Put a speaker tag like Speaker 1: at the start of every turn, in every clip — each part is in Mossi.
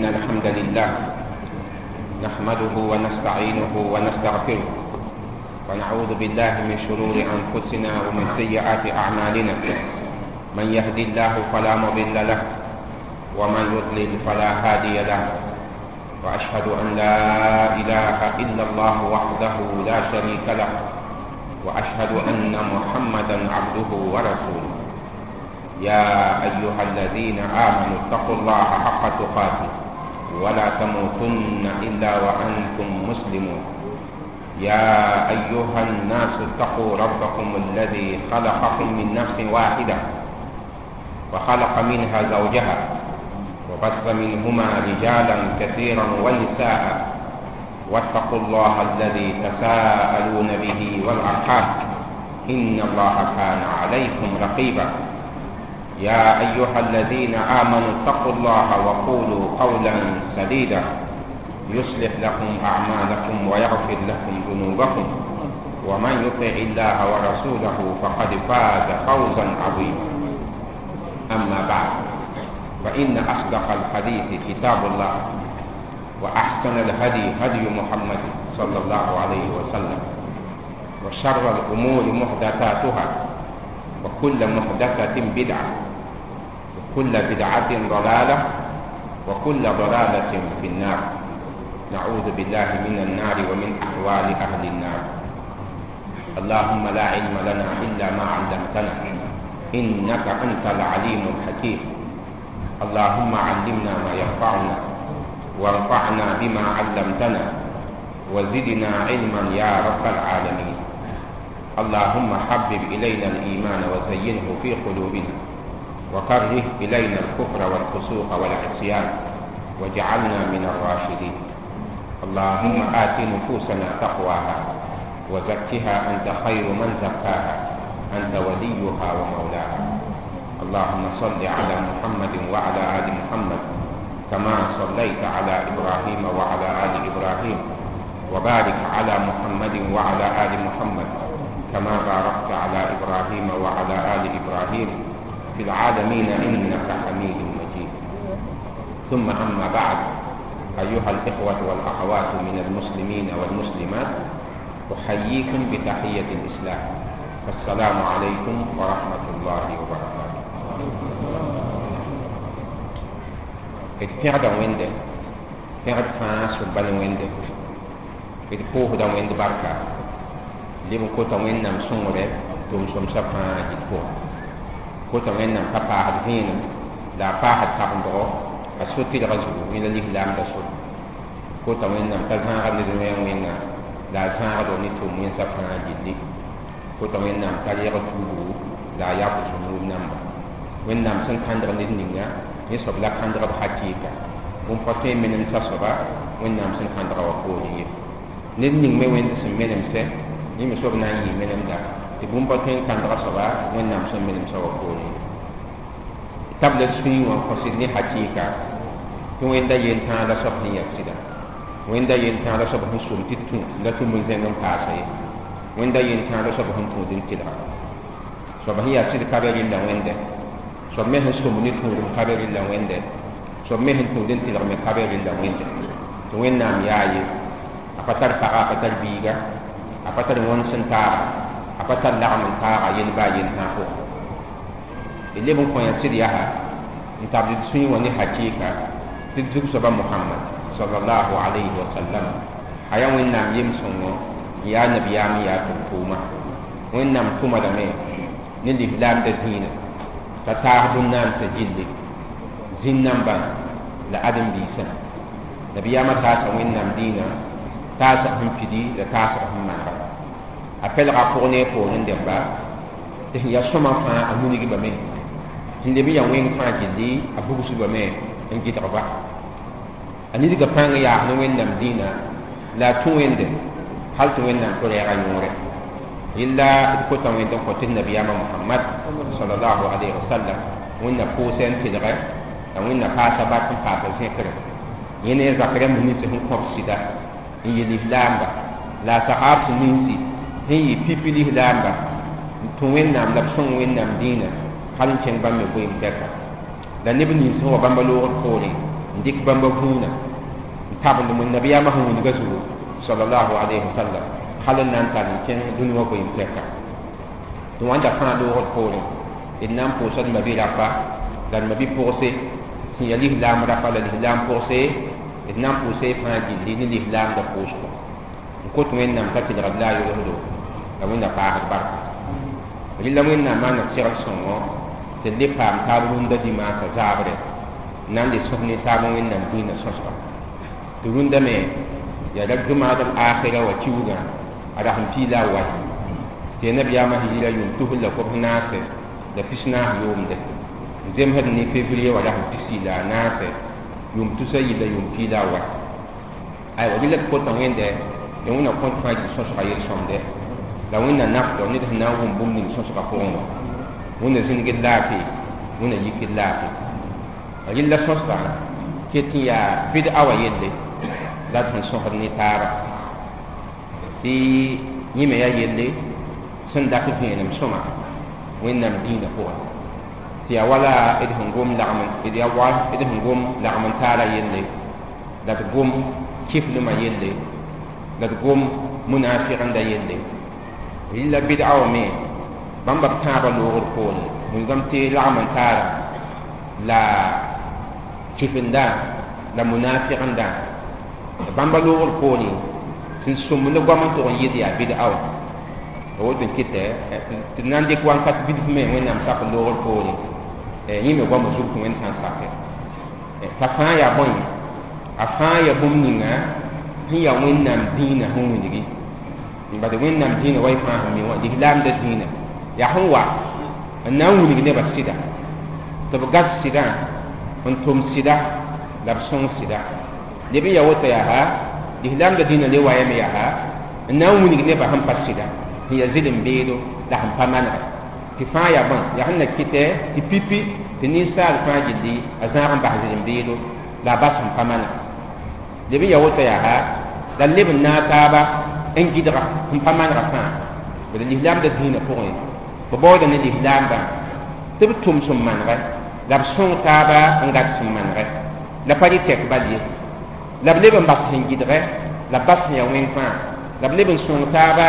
Speaker 1: إن الحمد لله نحمده ونستعينه ونستغفره ونعوذ بالله من شرور أنفسنا ومن سيئات أعمالنا. من يهدي الله فلا مضل له ومن يضلل فلا هادي له، وأشهد أن لا إله إلا الله وحده لا شريك له، وأشهد أن محمدا عبده ورسوله. يا أيها الذين آمنوا اتقوا الله حق تقاته ولا تموتن إلا وأنتم مسلمون. يا أيها الناس اتقوا ربكم الذي خلقكم من نفس واحدة وخلق منها زوجها وبث منهما رجالا كثيرا ونساء، واتقوا الله الذي تساءلون به والأرحام إن الله كان عليكم رقيبا. يا أيها الذين آمنوا اتقوا الله وقولوا قولا سديدا يصلح لكم أعمالكم ويغفر لكم ذنوبكم، ومن يطع الله ورسوله فقد فاز فوزا عظيما. أما بعد، فإن أصدق الحديث كتاب الله، وأحسن الهدي هدي محمد صلى الله عليه وسلم، وشر الأمور محدثاتها، وكل محدثة بدعة، وكل بدعة ضلالة، وكل ضلالة في النار. نعوذ بالله من النار ومن أحوال أهل النار. اللهم لا علم لنا إلا ما علمتنا إنك أنت العليم الحكيم. اللهم علمنا ما ينفعنا، وانفعنا بما علمتنا، وزدنا علما يا رب العالمين. اللهم حبب إلينا الإيمان وزينه في قلوبنا، وكره إلينا الكفر والفسوق والعصيان، واجعلنا من الراشدين. اللهم آت نفوسنا تقواها وزكها أنت خير من زكاها، أنت وليها ومولاها. اللهم صل على محمد وعلى آل محمد كما صليت على إبراهيم وعلى آل إبراهيم، وبارك على محمد وعلى آل محمد كما باركت على إبراهيم وعلى آل إبراهيم في العالمين إنك حميد مجيد. ثم أما بعد، أيها الإخوة والأخوات من المسلمين والمسلمات، أحييكم بتحية الإسلام، السلام عليكم ورحمة الله وبركاته. D pẽgda Wẽnde, pẽgd fãa sʋba ne Wẽnde, d pʋʋsda Wẽnd barka, leb n kota Wẽnnaam sõngre tʋʋm-sõmsã fãa dɩt pʋgẽ. Kota Wẽnnaam ka paasd vẽenem la a paasd kabendgo a so-tɩlgã zugu, yẽ la lislaamda sor. Kota Wẽnnaam t'a zãagd ned wẽng wẽnga la a zãagdo ne tʋʋm wẽnsã fãa gilli. Kota Wẽnnaam t'a reeg tuubgu la a yab zũnub namba. Wẽnnaam sẽn kãndg ned ninga, yẽ soab la kãndg b hakɩɩka. Bũmb pa tõe n menemsa soaba Wẽnnaam sẽn kãndga wã poorẽ ye. Ned ning me Wẽnd sẽn menemsɛ, yẽ me soab na n yɩ menemda, tɩ bũmb pa tõe n kãndga soaba Wẽnnaam sẽn menemsã wã poorẽ ye. Tabla sũyẽ wã kõsd ne hakɩɩka tɩ Wẽnda yel-tãa la soab sẽn yaa sɩda. Wẽnda yel-tãa la soab sẽn sʋm tɩ tũ la tũm n zẽng n paasa ye. Wẽnda yel-tãa la soab sẽn tũud n tɩlga. Soab sẽn yaa sɩd ka be rɩlla Wẽnde, soab me sẽn sõm ne tũudem ka be rɩlla Wẽnde, soab me sẽn tũud n tɩlg me ka be rɩlla Wẽnde. Tɩ Wẽnnaam yaa ye, a pa tar paga, a pa tar biiga, a pa tar wõns n taaga, a pa tar lagm n taaga yel baa yel-tãa pʋgẽ. D leb n kõ yã sɩd yaa n tabd d sũyẽ wã ne hakɩɩka tɩ d zug soaba Mohamad sallallahu alayhi wa sallam. A yaa Wẽnnaam yem-sõngo, n yaa nabiyaam, n yaa tʋm-tʋʋma. Wẽnnaam tʋma lame ne lislaamda dĩinã t'a taas bũn-naamsã gilli, zĩn-nambã la ãdem-biisã. Nabiyaamã taasa Wẽnnaam dĩinã, taasg sẽn pidi la taasg sẽn manega. A pɛlga a pʋg ne a poorẽ dẽmba tɩ sẽn yaa sõma fãa a munigame, sẽn leb n yaa wẽng fãa gilli a bugsbame n gɩdgba. A nidga pãng yaas ne Wẽnnaam dĩinã la a tũ Wẽnde hal tɩ Wẽnnaam tɩ rɛɛga yõore. Yella d kota Wẽnd n kõ tɩ nabiyaamã Mohamad sallallahu alayhi wa sallam Wẽnna pʋʋsɛ n tɩlgɛ la Wẽnna paasa bark n paasa zẽkre. Yẽ ne a zak rãmb nins sẽn kõb sɩda n yɩ lislaamba la a sahaab sẽn ninsi sẽn yɩ pipi lislaamba n tũ Wẽnnaam la b sõng Wẽnnaam dĩinã hal n kẽng bãmb me goeem tɛka. La neb nins sẽn wa bãmba loogr poorẽ N dɩk bãmba vũuna n tabend wẽnd nabiyaamã sẽn wilga zugu sallallahu alayhi wa sallam hal n na n tar n kẽng dũni wã goeem tɛka tɩ wãnda fãa loogd poorẽ d na n pʋʋsa d mabi-rapa la d mabi-pʋgse sẽn yaa lislaam rapa la lislaam pʋgse d na n pʋʋsa y fãa gilli ne lislaamda pʋʋsgo n kot wẽnnaam t'a tɩlgd la a yolsdo la wẽnna paasd barka rɩla wẽnnaam maana segl sõngo tɩ d le paam taab rũndã dimaasã zaabre n na n le sõs ne taab wẽnnaam dĩinã sõsga tɩ rũndã me yaa ra jʋmaad l akhira wa kiuugã a rasem piila a wai tɩ yaa nabiyaamã sẽn yɩla yʋʋm tusr la kobs naase la pis naas yʋʋmde n zemsd ne février wa rasem pisi la a naase yʋʋm tusa yɩla yʋʋm piila a wai aywa rɩla d kota wẽnde ya wẽnna kõt fãa gil sõsga yel-sõmde la wẽnna nafdg ned sẽn na n wʋm bũmb ning sõsga pʋgẽ wã wẽnna zĩnigd laafɩ wẽnna yikd laafɩ rɩla sõsga ket n yaa bɩd-a wa yelle la d sẽn sõsd ne taaba tɩ yẽ me yaa yelle sẽn dat vẽenem sõma wẽnnaam dĩinã pʋgẽ tɩ yaa wala d sẽn gom lagm d yaa wa d sẽn gom lagm n taara yelle la d gom kiflmã yelle la d gom munafiqenda yelle rɩla bɩd-a wã me bãmba b tãabã loogd poore wilgame tɩ lagm n taara la kifenda la munafiqenda bãmba loogd poore sẽn sõmb ne goam n tʋg n yɩɩd yaa bɩd-a wã woto n kɩtɛ tɩ d na n dɩk wankat bilf me wẽnnaam sak loogr poore yẽ me goamã zug tɩ wẽnd sã n sake t'a fãa yaa bõe a fãa yaa bũmb ninga sẽn yaa wẽnnaam dĩinã sẽn wilgi bad wẽnnaam dĩinã wa y fãa sẽn mi wã lislaamda dĩinã yaa sẽn wa n na n wilg nebã sɩda tɩ b gas sɩdã n tʋm sɩda la b sõng sɩda leb n yaa woto yaa lislaamda dĩinã le wayame yaa n na n wilg nebã sẽn pa sɩda sẽn yaa zɩlem beedo la sẽn pa manega tɩ fãa yaa bõe yaa sẽn na kɩtɛ tɩ pipi tɩ ninsaal fãa gilli a zãag n bas zɩlem beedo la a bas sẽn pa manega leb n yaa woto yaa la leb n naag taaba n gɩdga sẽn pa manega fãa bd lislaamda dĩinã pʋgẽ b baooda ne lislaambã tɩ b tʋm sẽn manegɛ la b sõng taaba n gat sẽn manegɛ la pa rɩ tɛk bal ye la b leb n bas sẽn gɩdgɛ la b bas sẽn yaa wẽng fãa la b leb n sõng taaba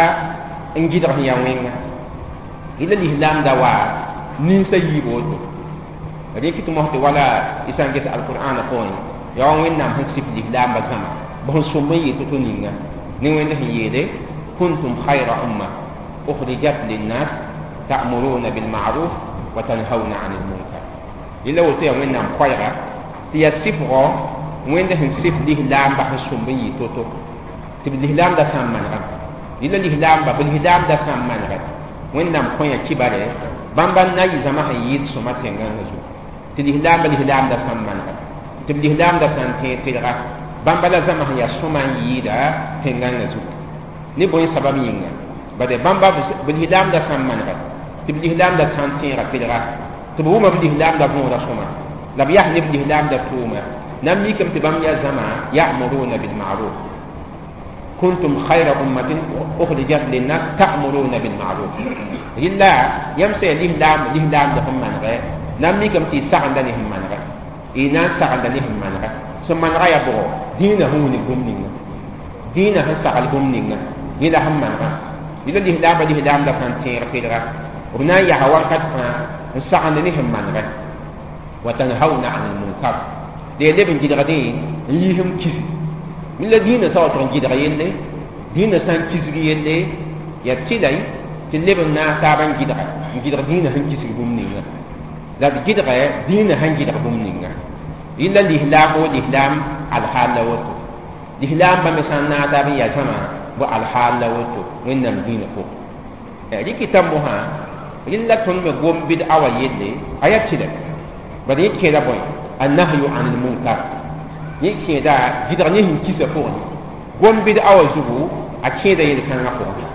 Speaker 1: n gɩdg sẽn yaa wẽnga rɩla lislaamda wa ninsa yiib woto rẽk tɩ mos tɩ wala y sã n ges alqur'ana pʋgẽ yaa wa wẽnnaam sẽn sɩf lislaambã zãma b sẽn sõmb n yɩ to-to ninga ne wẽnd sẽn yeele kuntum khayra umma ukhrijat linnas ta'muruna bilma'ruf wa tanhauna 'anil munkar rɩla woto yaa wẽnnaam koɛɛga tɩ yaa sɩfgɔ wẽnd sẽn sɩf lislaambã sẽn sõmb n yɩ to-to tɩ b lislaamda sã n manegame rɩla lislaamba b lislaamda sã n manegɛ wẽnnaam kõ yã kibare bãmba n na yɩ zãma sẽn yɩɩd sõma tẽngãngã zugu tɩ lislaamba lislaamda sã n manega tɩ b lislaamda sã n tẽeg tɩlga bãmba la zãma sẽn yaa sõma n yɩɩda tẽngãngã zugu ne bõe sabab yĩnga bade bãmba b lislaamda sã n manega tɩ b lislaamda sã n tẽega tɩlga tɩ b wʋma b lislaamda võoda sõma la b yas ne b lislaamda tʋʋma na n mikame tɩ bãmb yaa zãma ya'muruna bilma'ruf kuntum khayra ummatin ukhrijat linnas ta'muruna bilma'ruf rɩla yãmb sã yaa lislaam lislaamda sẽn manegɛ na n mikame tɩ y sagenda ne sẽn manegɛ y na n sagenda ne sẽn manegɛ sẽn manega yaa bʋgɔ dĩinã sẽn wilg bũmb ninga dĩinã sẽn sagl bũmb ninga yẽ la sẽn manegã rɩla lislaambã lislaamda sã n tẽeg tɩlga b na n yaa wakat fãa n sagend ne sẽn manegɛ wa tanhauna 'anil munkar la yaa leb n gɩdgdẽ n yiisem kis la dĩinã sã wa tʋg n gɩdg yelle dĩinã sã n kisg yelle yaa tɩlay tɩ leb n naas taab n gɩdga n gɩdg dĩinã sẽn kisg bũmb ninga la d gɩdgɛ dĩinã sẽn gɩdg bũmb ninga rɩla lislaam wo lislaam alhaal la woto lislaambã me sã n naag taab n yaa zãma bɩ alhaal la woto wẽnnaam dĩinã pʋgẽ rɩkɩta mosã rɩla tõnd me gom bɩd-a wa yelle a yaa tɩlɛ bad yẽ kẽeda bõe annahyu anil munkar yẽ kẽeda gɩdg ne sẽn kisa pʋgẽ gom bɩd-a wa zugu a kẽeda yel-kãngã pʋgẽ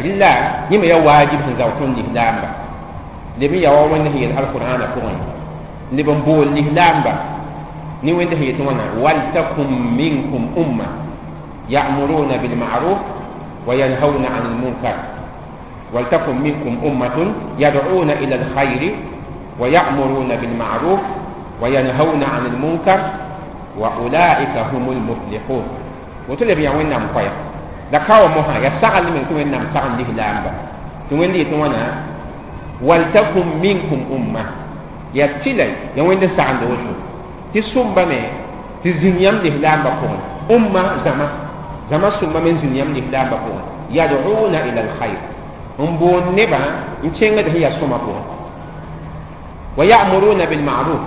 Speaker 1: rɩla yẽ me yaa waajib sẽn zao tõnd lislaamba leb n yaa wa wẽnd sẽn yel alqur'ana pʋgẽ leb n bool lislaamba ne wẽnd sẽn yet wãna waltakum minkum umma ya'muruna bilma'ruf wa yanhauna 'anil munkar ولتكن منكم أمة يدعون إلى الخير ويأمرون بالمعروف Wa yanhauna 'anil munkar wa ulaika humul muflihun. Woto leb yaa Wẽnnaam koɛɛg la ka wa mosã yaa sagl meng tɩ Wẽnnaam sagend lislaamba tɩ Wẽnd yetɩ wãna waltakum minkum umma yaa tɩla yaa Wẽnd n sagend woto tɩ sũmbame tɩ zĩnd yãmb lislaambã pʋgẽ umma zãma zãma sũmbame n zĩnd yãmb lislaambã pʋgẽ yad'una ila alkhair n boond nebã n kẽngd sẽn yaa sõma pʋgẽ wa ya'muruna bilma'ruf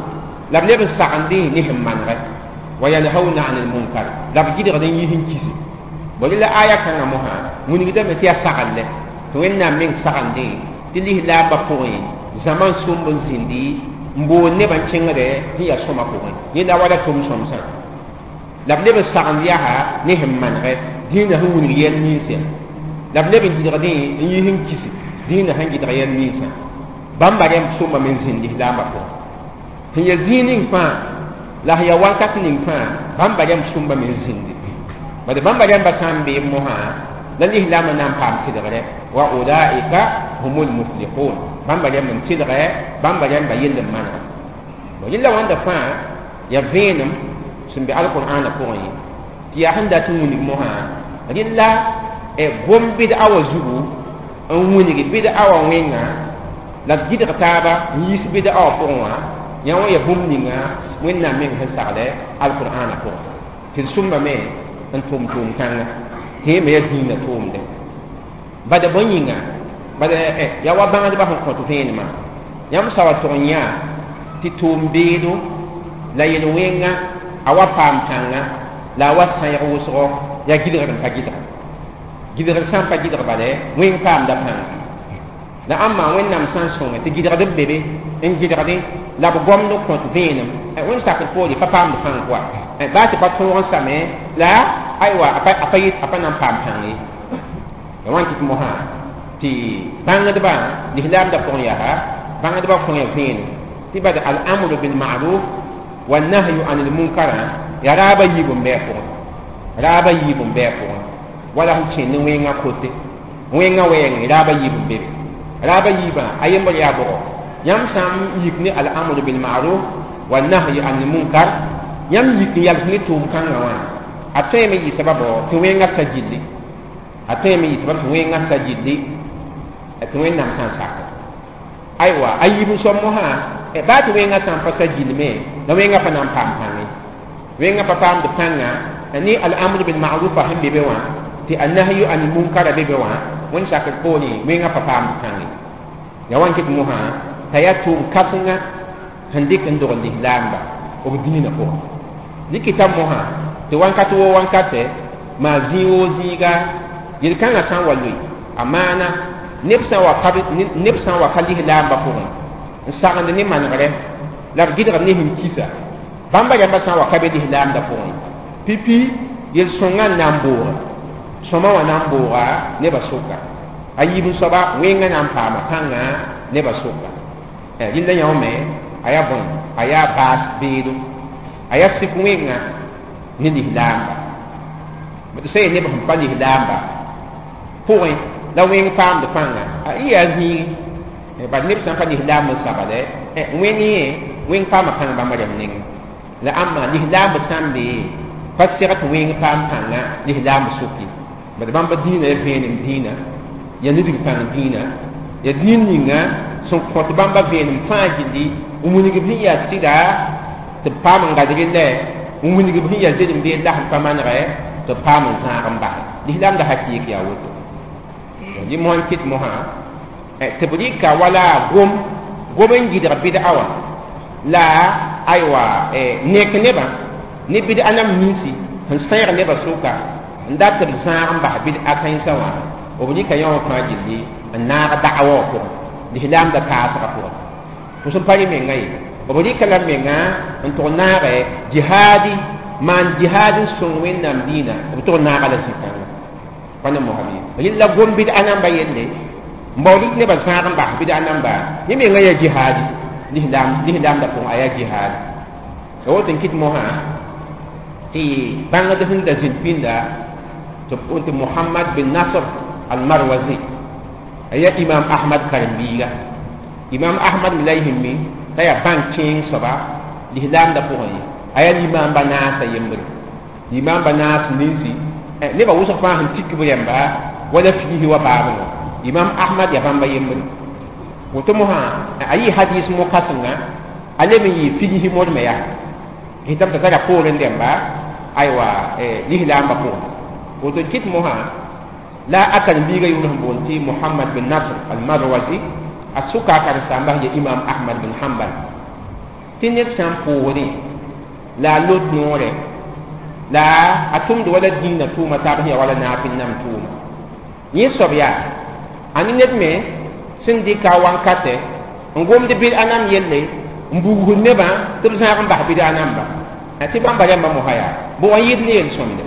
Speaker 1: la b leb n sagendẽ ne sẽn manegɛ wa yanhauna 'anil munkar la b gɩdgd n yis n kisi bõe la aya kãngã mosã wilgdame tɩ yaa sagl tɩ Wẽnnaam meng sagendẽ tɩ lislaambã pʋgẽ zãma n sũmb n zĩndi n boond nebã n kẽngdɛ sẽn yaa sõma pʋgẽ yẽla wala tʋm sõmsã la b leb n sagend yaa ne sẽn manegɛ dĩinã sẽn wilg yɛl ninsã la b leb n gɩdgdẽ n yis n kisi dĩinã sẽn gɩdg yɛl ninsã bãmba rẽmb sũmbame n zĩnd lislaambã pʋgẽ sẽn ya zĩig ning fãa la sẽn yaa wakat ning fãa bãmba rẽmb sũmbame n zĩndi bad bãmba rẽmba sã n bee mosã la lislaambã na n paam tɩlgrɛ wa ulaika humul muflihun bãmba rẽmb n tɩlgɛ bãmba rẽmba yell n manega bõ yella wãnda fãa yaa vẽenem sẽn be alqur'ana pʋgẽ tɩ yaa sẽn dat n wilg mosã rɩla gom bɩd-a wã zugu n wilg bɩd-a wã wẽnga la d gɩdg taaba n yiis bɩd-a wã pʋgẽ wã yã wã yaa bũmb ninga Wẽnnaam meng sẽn saglɛ alqur'ana pʋgẽ tɩ d sũmbame n tʋm tʋʋm-kãnga tɩ yẽ me yaa dĩinã tʋʋmdɛ bad bõe yĩnga bad yaa wa bãngdbã sẽn kõt vẽenemã yãmb sa wa tʋg n yã tɩ tʋʋm-beedo la yel-wẽnga a wa paam pãnga la a wa sãeeg wʋsgo yaa gɩdgr n pa gɩdga gɩdgr sã n pa gɩdg bala wẽng paamda pãnga la ãmba Wẽnnaam sã n sõnge tɩ gɩdgd b be be n gɩdgdẽ la b gomd n kõt vẽenem Wẽnd sakd poore pa paamd pãng pʋa baa tɩ pa tõog n same la aywa a pa na n paam pãng ye ya wãn tɩ mosã tɩ bãngdbã lislaamdã pʋgẽ yaa bãngdbã kõ ya vẽenem tɩ bad al-amru bil-ma'ruf wa nahyu anil munkar yaa raaba yiib n bɩ a pʋgẽ raaba yiib n bɩ a pʋgẽ wala sẽn kẽnd ne wẽngã kote wẽngã wɛɛngẽ raaba yiib n be be raaba yiibã a yembr yaa bʋgɔ yãmb sã n yik ne al-amru bil-ma'ruf wa nahyu anil munkar yãmb yik n yals ne tʋʋm-kãngã wã a tõeme yɩ sababɔ tɩ wẽngã sa gilli a tõeme yɩ sabab tɩ wẽngã sa gilli tɩ Wẽnnaam sã n sak aywa a yiib n soab mosã baa tɩ wẽngã sã n pa sa gilme la wẽngã pa na n paam pãnge wẽngã pa paamd pãnga ne al-amru bil-ma'rufa sẽn be be wã tɩ annahyu anil munkara be be wã Wẽnd sakr poorẽ wẽngã pa paamd pãnge ya wãn kɩt mosã t'a yaa tʋʋm kãsenga sẽn dɩk n dogl lislaamba b dĩinã pʋgẽ dɩkɩta mosã tɩ wãnkat woo wãnkatɛ maa zĩig woo zĩiga yel-kãngã sã n wa loe a maana neb sã n wa ka lislaambã pʋgẽ n sagend ne manegrɛ la b gɩdgd ne sẽn kisa bãmba rãmbã sã n wa ka be lislaamdã pʋgẽ pipi yel-sõngã n na n booga sõma wã na n booga nebã sʋka a yiib n soaba wẽngã na n paama pãnga nebã sʋka rɩlla yãome a yaa bõe a yaa baas beedo a yaa sik wẽnga ne lislaamba d sã yaa neb sẽn pa lislaamba pʋgẽ la wẽng paamd pãnga y yaa zĩigi bad neb sã n pa lislaamb n sabale wẽng yẽ wẽng paama pãng bãmba rãmb nengẽ la ãmba lislaamb sã n be pa seg tɩ wẽng paam pãnga lislaamb sʋki bad bãmba dĩinã ya vẽenem dĩinã ya nidg pãng dĩinã ya dĩin ninga sẽn kõt bãmba vẽenem fãa gilli n wilg b sẽn yaa sɩda tɩ b paam n gad rɩlɛ n wilg b sẽn yaa zed n bee la sẽn pa manegɛ tɩ b paam n zãag n basɛ lislaamda hakɩɩk yaa woto dɩ mosã n kɩt mosã tɩ b rɩka wala gom gom n gɩdg bɩd-a wã la aywa nek nebã ne bɩd-a nam ninsi sẽn sãeeg nebã sʋka n dat tɩ b zãag n bas bɩd-a kãensã wã b rɩka yã wã fãa gilli n naag da'awa wã pʋgẽ lislaamda taasgã pʋgẽ fo sẽn pa rẽ menga ye b rɩka la menga n tʋg naagɛ jihaadi maan jihaad n sõng Wẽnnaam dĩinã b tʋg naaga la zĩ-kãngã pa ne mosã bɩ rɩla gom bɩd-a namba yelle n baood tɩ nebã zãag n bas bɩd-a namba yẽ menga yaa jihaadi lislaamdã pʋgẽ a yaa jihaadi ya woto n kɩt mosã tɩ bãngd sẽn da zĩnd pĩnda tɩ b tɩ Mohamad bin Nasr al-Marwazi a yaa Imam Ahmad karen-biiga Imam Ahmad me la y sẽn mi t'a yaa bãng kẽeng soaba Lislaamdã pʋgẽ ye a yaa limam banaasã yembre limam banaas ninsi nebã wʋsg fãa sẽn tik b rẽmba wala fiisi wa baabngã Imam Ahmad yaa bãmba yembre woto mosã a yɩ hadis mo-kãsenga a leb n yɩ figsi modme yaa gɩtame t'a tara poorẽ dẽmba aywa lislaambã pʋgẽ woto n kɩt mosã la a karen-biigã yʋʋr sẽn boond tɩ Mohamad bin Nasr al-Marwazi a sʋka a karen-saambã sẽn ye Imam Ahmad bin Hanbal tɩ ned sã n pʋʋsdẽ la a lot noorɛ la a tʋmd wala dĩinã tʋʋma taab sẽn yaa wala naafɩl nam tʋʋma yẽ soab yaa ãni ned me sẽn dɩka a wankatɛ n gomd bɩd-a nam yelle n bugsd nebã tɩ b zãag n bas bɩd-a namba tɩ bãmba rãmbã mosã yaa bʋg n yɩɩd ne yel-sõmde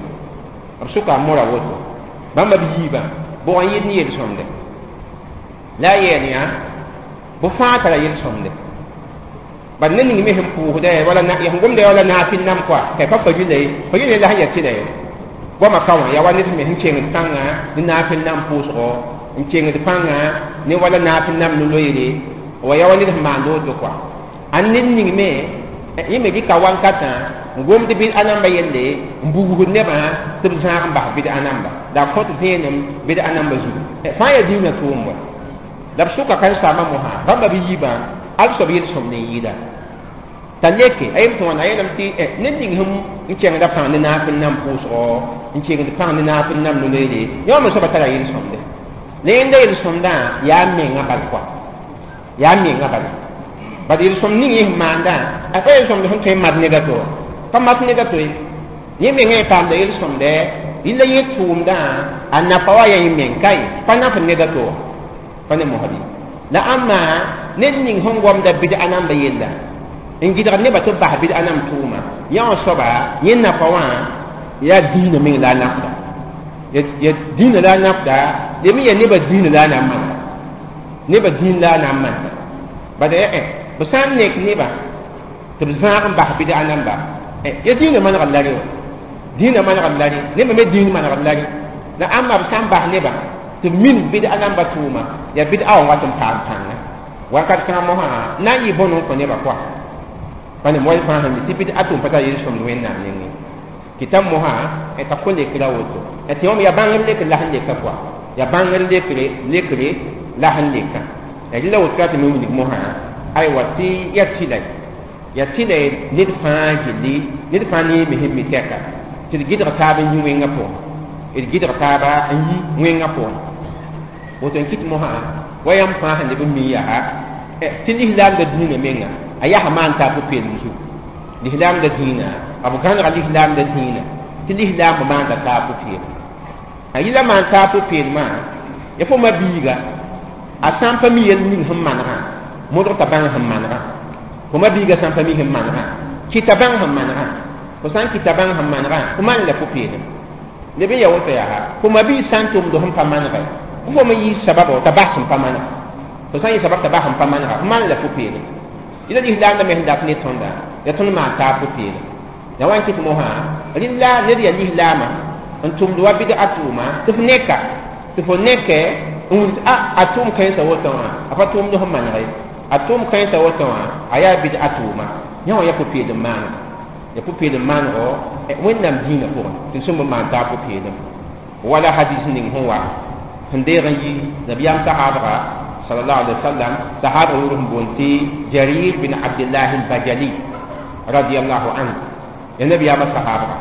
Speaker 1: b sʋka a mora woto bãmba b yiibã bʋg n yɩɩd ne yel-sõmde la a yeel yã bʋ fãa tara yel-sõmde bad ned ning me sẽn pʋʋsda wala sẽn gomda wala naafɩl nam koa t'a pa farila ye farila la sẽn yaa tɩla ye goamã ka wã yaa wa ned me sẽn kengd pãnga ne naafɩl nam pʋʋsgo n kengd pãnga ne wala naafɩl nam no-loeere wa yaa wa ned sẽn maand woto koa a ned ning me yẽ me dɩka wankatã n gomd bɩd-a namba yelle n bugsd nebã tɩ b zãag n bas bɩd-a namba la a kõt vẽenem bɩd-a namba zugu fãa yaa dĩinã tʋʋm wa la b sʋka karen-saambã mosã bãmba b yiibã al soab yel-sõmd n yɩɩda t'a leke a yem tɩ wãna a yeelame tɩ ned ning sẽn n kẽngda pãng ne naafɩl nam pʋʋsgɔ n kengd pãng ne naafɩl nam no-loeere yã wã me soaba tara yel-sõmde la yẽnda yel-sõmdã yaa menga bal koa yaa menga bala bad yel-sõmd ning yẽ sẽn maandã a pa yel-sõmd sẽn tõe n mat ned a to pa mat ned a to ye yẽ mengã yẽ paamda yel-sõmdɛ rɩla yẽ tʋʋmdã a nafa wa yaa yẽ meng ka ye pa naf ned a to pa ne mosdi la ãmba ned ning sẽn gomda bɩd-a namba yella n gɩdgd nebã tɩ b bas bɩd-a nam tʋʋma yã wã soaba yẽ nafa wã yaa dĩinã meng la a nafda ya dĩinã la a nafda lem yaa nebã dĩinã la a na n manda nebã dĩin la a na n manda bala ya b sã n nek nebã tɩ b zãag n bas bɩd-a namba ya dĩinã manegd la re wã dĩinã manegd la re nebã me dĩin manegd la re la ãmba b sã n bas nebã tɩ b min bɩd-a namba tʋʋma yaa bɩd-a wã wat n paam pãnga wakat kãngã mosã na n yɩ bõn n kõ nebã koa pa ne moy fãa sẽn mi tɩ bɩd-a tʋʋm pa tar yel-sõmd Wẽnnaam nengẽ kɩta mosã t'a kõ lekra woto tɩ wãm yaa bãngr lekr la sẽn leka koa yaa bãngr lekre la sẽn leka rɩla woto tɩ me wilg mosã aywa tɩ yaa tɩla yaa tɩla ned fãa gilli ned fãa ne me sẽn mi tɛka tɩ d gɩdg taab n yi wẽngã pʋgẽ d gɩdg taaba n yi wẽngã pʋgẽ woto n kɩt mosã wa yãmb fãa sẽn leb n mi yaa tɩ lislaamda dĩinã menga a yaa maan taa pʋ-peelem zugu lislaamda dĩinã b gãnega lislaamda dĩinã tɩ lislaam maanda taa pʋ-peelem a yɩla maan taa pʋ-peelmã ya fo ma-biiga a sã n pa mi yel ning sẽn manegã modg t'a bãng sẽn manegã fo ma-biiga sã n pa mi sẽn manegã kɩta bãng sẽn manegã fo sã n kɩta bãng sẽn manegã fo maan la pʋ-peelem leb n ya woto yaa fo ma-biig sã n tʋmd sẽn pa manegɛ fo me yɩ sabab t'a bas sẽn pa manega fo sã n yɩ sabab t'a bas sẽn pa manega fo maan la pʋ-peelem yɩla lislaamda me sẽn dat ne tõnda ya tõnd maan taa pʋ-peelem la wa n kɩt mosã rɩla ned yaa lislaamã n tʋmd wa bɩd-a tʋʋma tɩ f neka tɩ fo nekɛ n wilg a tʋʋm kãensã woto wã a pa tʋʋmd sẽn maneg ye a tʋʋm kãensã woto wã a yaa bɩd-a tʋʋma yã wã yaa pʋ-peelem maanego ya pʋ-peelem maanego Wẽnnaam dĩinã pʋgẽ tɩ sẽn maan taa pʋ-peelem wala hadis ning sẽn wa sẽn deeg n yi nabiyaam sahaabga sallallahu alaihi wasallam sahaba yʋʋr sẽn boond tɩ Jarir bin Abdillah al-Bajali radiyallahu anhu ya nabiyaamã sahaabga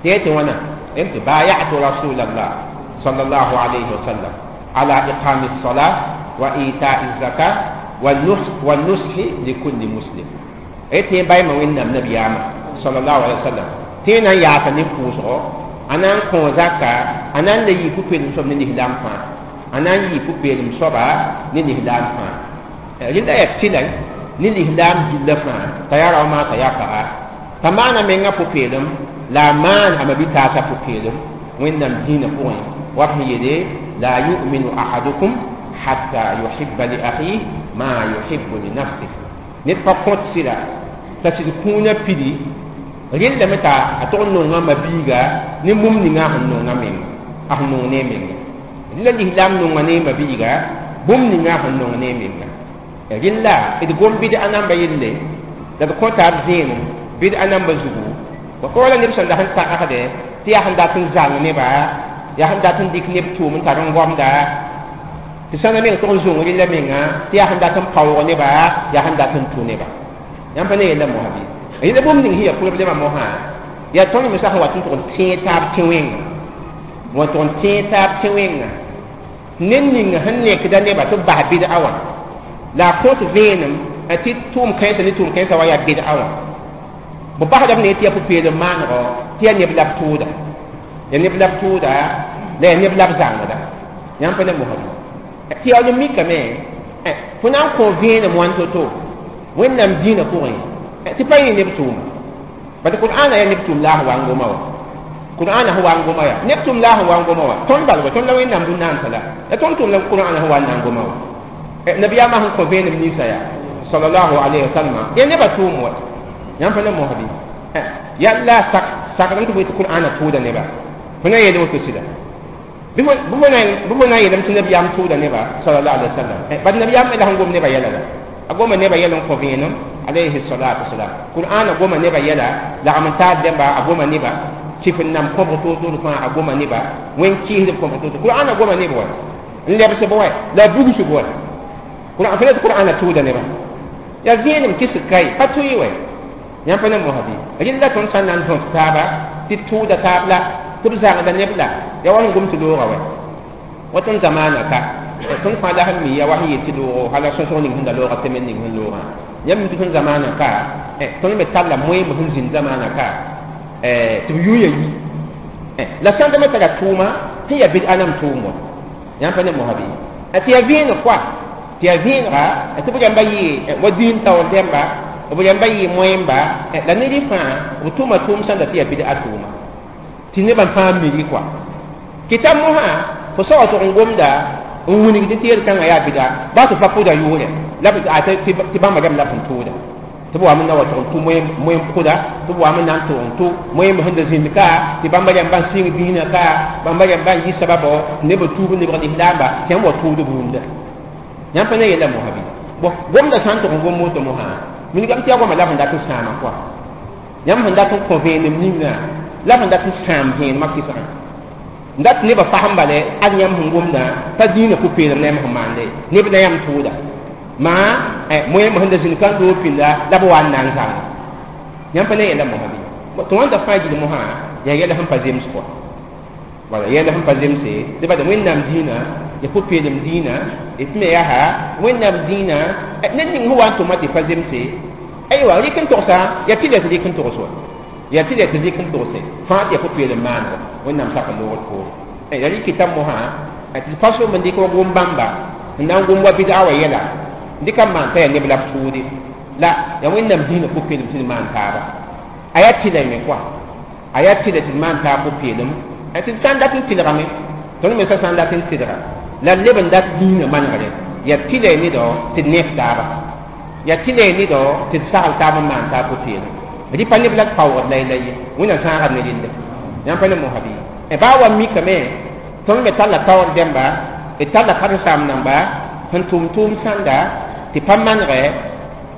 Speaker 1: tɩ ya tɩ wãna tɩ bayatu rasulallah sallallahu alayhi wasallam ala iqami الصلاة وإيتاء الزكاة والنصح لكل مسلم tɩ yẽ bayma Wẽnnaam nabiyaamã sallallahu alaihi wasallam tɩ yẽ na n yaasa ne pʋʋsgo a na n kõ zaka a na n le yɩ pʋ-peelem soab ne lislaam fãa a na n yɩ pʋ-peelem soaba ne lislaam fãa rẽnda yaa tɩla ne lislaam gilla fãa t'a yaa rao maa t'a yaa paga t'a maana menga pʋ-peelem la a maan a ma-bi-taasã pʋ-peelem Wẽnnaam dĩinã pʋgẽ wa b sẽn yeele la yu'minu ahadukum hatta yuhibba li akhihi ma yuhibbu li nafsihi ned pa kõt sɩda t'a sɩd kũunã pidi rẽndame t'a a tog n nonga ma-biiga ne bũmb ninga sẽn nonga menga a sẽn nong ne menga rẽla lislaam nonga ne ma-biiga bũmb ninga sẽn nong ne menga rẽla d gom bɩd-a namba yelle La d kõ taab zẽenem bɩd-a namba zugu wa pa wala neb sẽn dat n tagsde tɩ yaa sẽn dat n zang neba, yaa sẽn dat n dɩk neb tʋʋm n tar n goamda, tɩ sãna meng tʋg n zũng rɩla menga, tɩ yaa sẽn dat n paoog neba, yaa sẽn dat n tʋ neba. Yãmb pa ne yella mosã bɩ? Yẽla bũmb ning sẽn yaa problɛmã mosã, yaa tõnd me sã sẽn wat n tʋg n tẽeg taab tẽ-wẽnga, wa tʋg n tẽeg taab tẽ-wẽnga. Ned ninga sẽn nekda neba tɩ b bas bɩd-a wã, la a kõt vẽenem tɩ tʋʋm kãensã ne tʋʋm kãensã wa yaa bɩd-a wã. B basdame ne tɩ yaa pʋ-peelem maanego, tɩ yaa neb la b tʋʋda, yaa neb la b tʋʋda, la yaa neb la b zãngda. Yãmb pa ne mosã bɩ? Tɩ yaool n mikame fo na n kõ vẽenem wãn to-to Wẽnnaam dĩinã pʋgẽ tɩ pa yẽ neb tʋʋma. Bad Qur'ana yaa neb tʋʋm la a sẽn wa n goma wã. Qur'ana sẽn wa n goma yaa neb tʋʋm la a sẽn wa n goma wã. Tõnd bal wa, tõnd la Wẽnnaam bũn-naamsã la la tõnd tʋʋm la Qur'ana sẽn wa n na n goma wã. Nabiyaamã sẽn kõ vẽenem ninsã yaa sallallahu alayhi wa sallam, yaa nebã tʋʋm wa. Yãmb pa ne mosã bɩ? Yaa la sak sakdame tɩ fo yetɩ Qur'ana tʋʋda neba. Fo na n yeel woto sɩda? Bɩ fo na n yeelame tɩ nabiyaam tʋʋda neba sallallahu alayhi wa sallam? Bad nabiyaam me la sẽn gom nebã yɛla la. A goma neba yɛl n kõ vẽenem alayhi salatu wasalam. Qur'ana goma neba yɛla, lagm n taar dẽmba a goma neba, tɩf n nam kõbg toor-toor fãa a goma neba, wẽn kɩɩsdb kõbg toor. Qur'ana goma neb wa n lebsb wa la a bugsb wa. Qur'an fo Qur'ana tʋʋda neba. Yaa vẽenem kɩs kai pa tʋɩ wa. Yãmb pa ne mosã bɩ? Rɩla tõnd sã n na n dõt taaba tɩ tʋʋda taab la tɩ b zãngda neb la yaa wa sẽn gom tɩ looga wa. Wa tõnd zamaana ka tõnd fãa la sẽn mi yaa wa sẽn yet tɩ loogo hala sõsg ning sẽn da looga semaine ning sẽn loogã. Yãmb mi tɩ tõnd zamaana ka tõnd me talla moeemb sẽn zĩnd zamaana ka tɩ b yʋ ya yi la sãn da me tara tʋʋma sẽn yaa bɩd-a nam tʋʋm wa. Yãmb pa ne mosã bɩ? Tɩ yaa vẽeneg koa, tɩ yaa vẽenega tɩ b rãmba yɩ wa dĩin taoor dẽmba, b rãmba yɩ moẽmba la ned fãa b tʋʋma tʋʋm sãn da tɩ yaa bɩd-a tʋʋma tɩ nebã fãa miri koa. Kɩta mosã fo sa wa tʋg n gomda n wilgd tɩ yel-kãngã yaa bɩda ba tɩ fa pʋda yʋʋrɛ la tɩ bãmba rãmb la sẽn tʋʋda tɩ b wame na wa tʋg n tʋ moeem pʋda, tɩ b wame na n tʋg n tʋ moeemb sẽn da zĩnd ka, tɩ bãmba rãmba n sɩng dĩinã ka, bãmba rãmba n yɩ sababɔ tɩ neb tuub lebg lislaamba tɩ yãmb wa tʋʋd rũndã. Yãmb pa ne yella mosã bɩ? Bõ gomda sã n tʋg n gom woto mosã, wilgame tɩ yaa goama la b sẽn dat n sãama koa. Yãmb sẽn dat n kõ vẽenem ninga la b sẽn dat n sãam vẽenemã kɩsgã. N dat nebã fasem bale ad yãmb sẽn gomdã pa dĩinã pʋ-peelem la yãmb sẽn maande neb la yãmb tʋʋda maa moeemb sẽn da zĩnd ka n doog pĩnda la b wa n na n zãnga. Yãmb pa ne yɛla mosã bɩ? Tɩ wãnda fãa gil mosã yaa yɛla sẽn pa zems koa. Wala yɛla sẽn pa zemse tɩ bad Wẽnnaam dĩinã ya pʋ-peelem dĩinã d me yaa Wẽnnaam dĩinã ned ning sẽn wa n tʋma tɩ pa zemse. Aywa rɩk n togsa yaa tɩ la tɩ rɩk n togs wa, yaa tɩ la tɩ rɩk n togse fãa tɩ yaa pʋ-peelem maanego Wẽnnaam sak n loogd poore. Yaa rɩkɩta mosã tɩ pa som n dɩk wa gom bãmba n na n gom wa bɩd-a wa yɛla n dɩka n maan t'a yaa neb la b tʋʋde la yaa Wẽnnaam dĩinã pʋ-peelem tɩ d maan taaba. A yaa tɩla me koa, a yaa tɩla tɩ d maan taab pʋ-peelem tɩ d sã n dat n tɩlgame, tõnd me sã n dat n tɩlga la d leb n dat dĩinã manegre. Yaa tɩla y nedao tɩ d nef taaba, yaa tɩla y nedao tɩ d sagl taab n maan taab pʋ-peelem. Rɩ pa neb la d paoogd la y la ye Wẽnnaam sãagd ne rɩlla. Yãmb pa ne mosã bɩ? Baa wa mikame tõnd me talla taoor dẽmba, d talla karen-saam namba sẽn tʋm tʋʋm sãnda tɩ pa manegɛ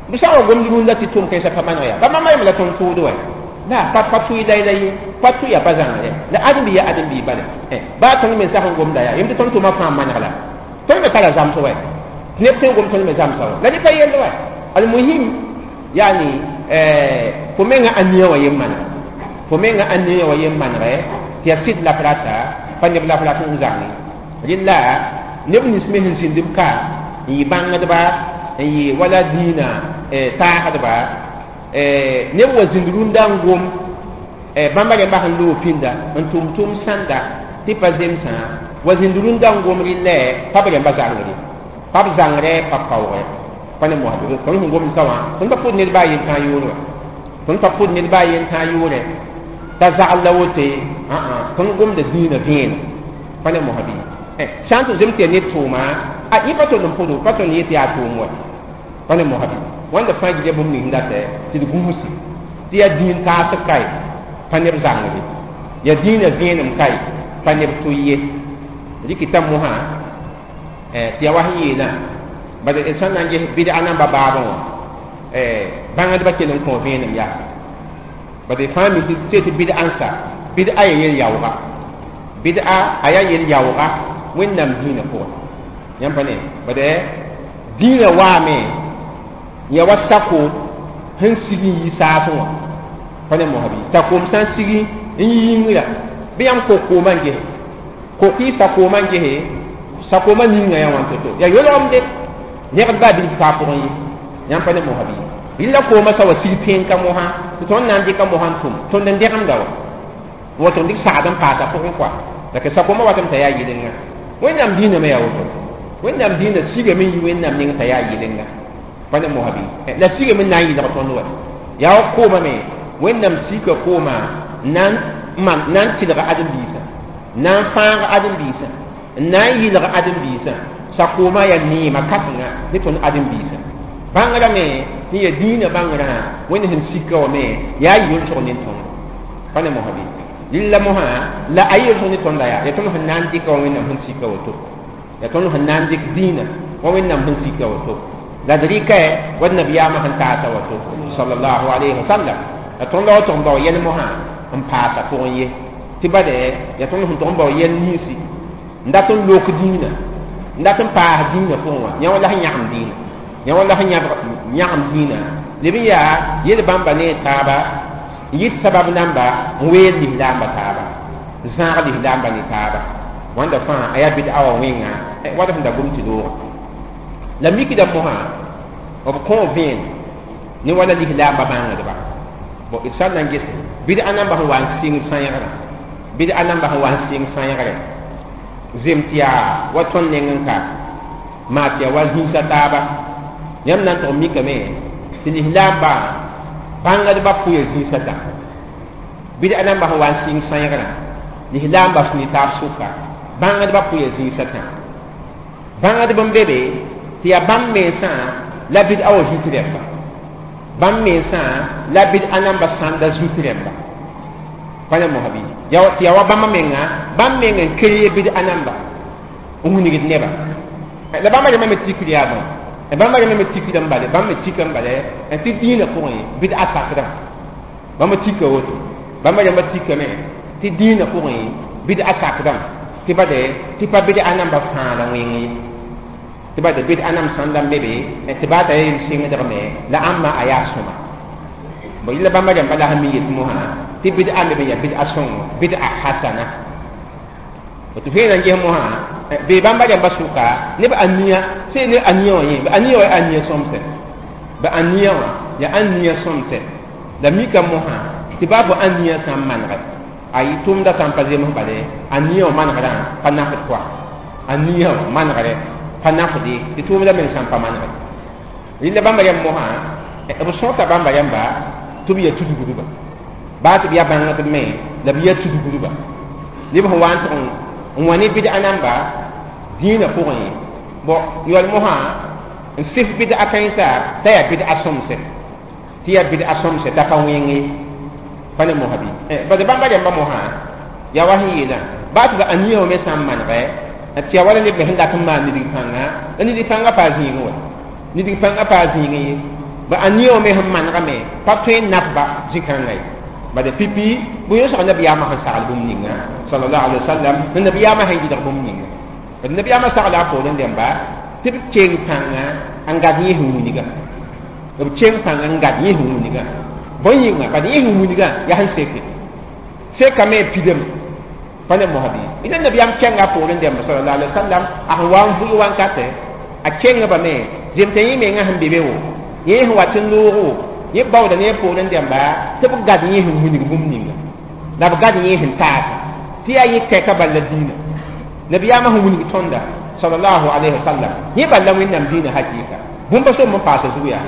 Speaker 1: b sã n wa gomd rũndã tɩ tʋʋm kãensã pa maneg yaa ba mama yem la tõnd tʋʋd wa la pa pa tʋɩ la y la ye pa tʋ yaa pa zãngre la ãdem-bi yaa ãdem-bi bala. Baa tõnd me sã sẽn gomda yaa yem tɩ tõnd tʋʋmã fãa maneg la tõnd me tara zãms wa tɩ neb tõe n gom tõnd me zãmsa wa la rɩ pa yell wa. Almuhim yani fo menga ania wa yem maneg, fo menga ania wa yem manegɛ tɩ yaa sɩd la f rata pa neb la f rat n zãnge rɩla neb nins me sẽn zĩnd b ka n yɩ bãngdba n yɩ wala dĩinã taasdba neb wa zĩnd rũndã n gom bãmba rẽmba sẽn loog pĩnda n tʋm tʋʋm sãnda tɩ pa zemsã wa zĩnd rũndã n gom rɩlɛ pa b rẽmba zãngre pa b zãngre pa paoogɛ pa ne mosã tõnd sẽn gomd sã wã tõnd pa pʋd ned baa yen tãa yʋʋr wa, tõnd pa pʋd ned baa yen tãa yʋʋrɛ t'a zagl la wote tõnd gomda dĩinã vẽenem pa ne mosã bɩ? Sã n tɩ zem tɩ yaa ned tʋʋma a yẽ pa tõnd n pʋdo pa tõnd yet yaa tʋʋm wa pa ne mosã bɩ? Wãnda fãa gilya bũmb ning datɛ tɩ d gũusi tɩ yaa dĩin taasb kae pa neb zãngre, yaa dĩinã vẽenem kae pa neb tʋ ye. Rɩkɩta mosã tɩ yaa wa sẽn yeelã bad d sã n na n ges bɩd-a namba baabẽ wã Bãngdbã kell n kõ vẽenem yaa bad fãa mi tɩ bɩd-a n sa bɩd-a ya yel-yaooga bɩd-a a yaa yel-yaooga Wẽnnaam dĩinã pʋgẽ yãmb pa ne bad dĩinã waame ya wa sakoom sẽn sig n yi saasẽ wã pa ne mosã bɩ sakoom sã n sig n yi yĩngrã bɩ yãmb kok-koomã n gese kok y sakoomã n gese sakoomã ninga yaa wãn to-to yaa yolgemde negd baa bilf taa pʋgẽ ye yãmb pa ne mosã bɩ rɩla koomã sa wa sig tẽn-ka mosã tɩ tõnd na n dɩka mosã n tʋm tõnd n dẽgemda wa woto n dɩk sagd n paasa pʋgẽ koa la ka sakoomã watame t'a yaa yɩlenga Wẽnnaam dĩinã me yaa woto Wẽnnaam dĩinã sigame n yi Wẽnnaam ning t'a yaa yɩlenga pa ne mosã bɩ la sigame n na n yɩlg tõnd wa yaa wa koomã me Wẽnnaam sika koomã na n tɩlg ãdem-biisã na n fãag ãdem-biisã n na n yɩlg ãdem-biisã sakoomã yaa neema kãsenga ne tõnd ãdem-biisã bãngrã me tɩ ya dĩinã bãngrã Wẽnd sẽn sika wã me yaa yʋlsg ne tõnd pa ne mosã bɩ rɩlla mosã la a yʋlsg ne tõnda yaa tõnd sẽn na n dɩka wa Wẽnnaam sẽn sika woto yaa tõnd sẽn na n dɩk dĩinã wa Wẽnnaam sẽn sika woto la d rɩka wa d nabiyaamã sẽn taasa woto sallallahu alayhi wa sallam la tõnd la wa tʋg n bao yɛl mosã n paasa pʋgẽ ye tɩ bade yaa tõnd sẽn tʋg n bao yɛl ninsi n dat n lok dĩinã n dat n paas dĩinã pʋgẽ wã yã wa la sẽn yãgem dĩinã yã wa la sẽn yãgem dĩinã leb n yaa yel bãmba ne taaba n yɩt sabab namba n weel lislaamba taaba n zãag lislaamba ne taaba wãnda fãa a yaa bɩd-a wã wẽnga wad sẽn da gom tɩ loogã la mikda mosã b kõ vẽen ne wala lislaamba bãngdba bon d sã n na n gese bɩd-a namba sẽn wa n sɩng sãegrã bɩd-a namba sẽn wa n sɩng sãegre zem tɩ yaa wa tõnd neng n ka maa tɩ yaa wa zĩisa taaba yãmb na n tʋg mikame tɩ lislaamba bãngdbã pʋya zĩisa tã bɩd-a namba sẽn wa n sɩng sãegrã lislaamba sẽn ne taab sʋka bãngdbã pʋya zĩisa tã bãngdb n be be tɩ yaa bãmb mensã la bɩd-a wa zut rẽmba bãmb mensã la bɩd-a namba sãnda zut rẽmba pa ne mosã bɩ tɩ yaa wa bãmb menga bãmb meng n kree bɩd-a namba n wilgd neba la bãmba rẽmbã me tikd yaa bõe bãmba rẽmbã me tikd n bale bãmb me tika n bale tɩ dĩinã pʋgẽ bɩd-a sakdã bãmb tika woto bãmba rẽmbã tikame tɩ dĩinã pʋgẽ bɩd-a sakdã tɩ bade tɩ pa bɩd-a namba fãada wẽng ye tɩ bade bɩd-a nam sãnda n be be tɩ baa t'a yel sɩngdgme la ãmba a yaa sõma bon yɩla bãmba rẽmba la sẽn mi yet mosã tɩ bɩd-a me be yaa bɩd-a sõngo bɩd-a hasana tɩ vẽenã n ges mosã bee bãmba rẽmba sʋka neb ania sẽn ne ania wã yẽ ania wã yaa ania sõmsɛ ba ania wã yaa ania sõmsɛ la mika mosã tɩ baa fo ania sã n manegɛ a yɩ tʋmda sã n pa zems bale ania wã manegrã pa nafd koa ania wã manegrɛ pa nafde tɩ tʋʋmda meng sã n pa manegɛ rɩla bãmba rẽmb mosã b sõta bãmba rẽmba tɩ b yaa tudgdba baa tɩ b yaa bãngdb me la b yaa tudgdba neb sẽn wa n tʋg n wã ne bɩd-a namba dĩinã pʋgẽ bon yɔl mosã n sɩf bɩd-a kãensa t'a yaa bɩd-a sõmsɛ tɩ yaa bɩd-a sõmsɛ t'a pa wẽng ye pa ne mosã bɩ bad bãmba rẽmba mosã yaa wa sẽn yeelã baa tɩ b ania wã me sã n manegɛ tɩ yaa wala neb me sẽn dat n maan nidg pãnga la nidg pãnga paa zĩigẽ wa nidg pãnga paa zĩigẽ ye ba ania wã me sẽn manegame pa tõe n nafba zĩ-kãngã ye bad pipi bõe yõsg nabiyaamã sẽn sagl bũmb ninga sallallahu alaihi wasallam ne nabiyaamã sẽn yɩlg bũmb ninga d nabiyaamã sagla a poorẽ dẽmba tɩ b keng pãnga n gad yẽ sẽn wilga b keng pãnga n gad yẽ sẽn wilga bõe yĩnga bad yẽ sẽn wilgã yaa sẽn seke sekame pidame pa ne mosã bɩ ila nabiyaam kẽnga a poorẽ dẽmba sallallahu alaihi wasallam a sẽn wa n vʋɩ wankatɛ a kengba me zem t'a yẽ menga sẽn be be wo yẽ sẽn wat n loogo yẽ baooda ne a poorẽ dẽmba tɩ b gad yẽ sẽn wilg bũmb ninga la b gad yẽ sẽn taasa tɩ yaa yẽ tɛka bal la dĩinã nabiyaamã sẽn wilg tõnda sallallahu alayhi wa sallam yẽ bal la Wẽnnaam dĩinã hakɩɩka bũmba som n paasa zug yaa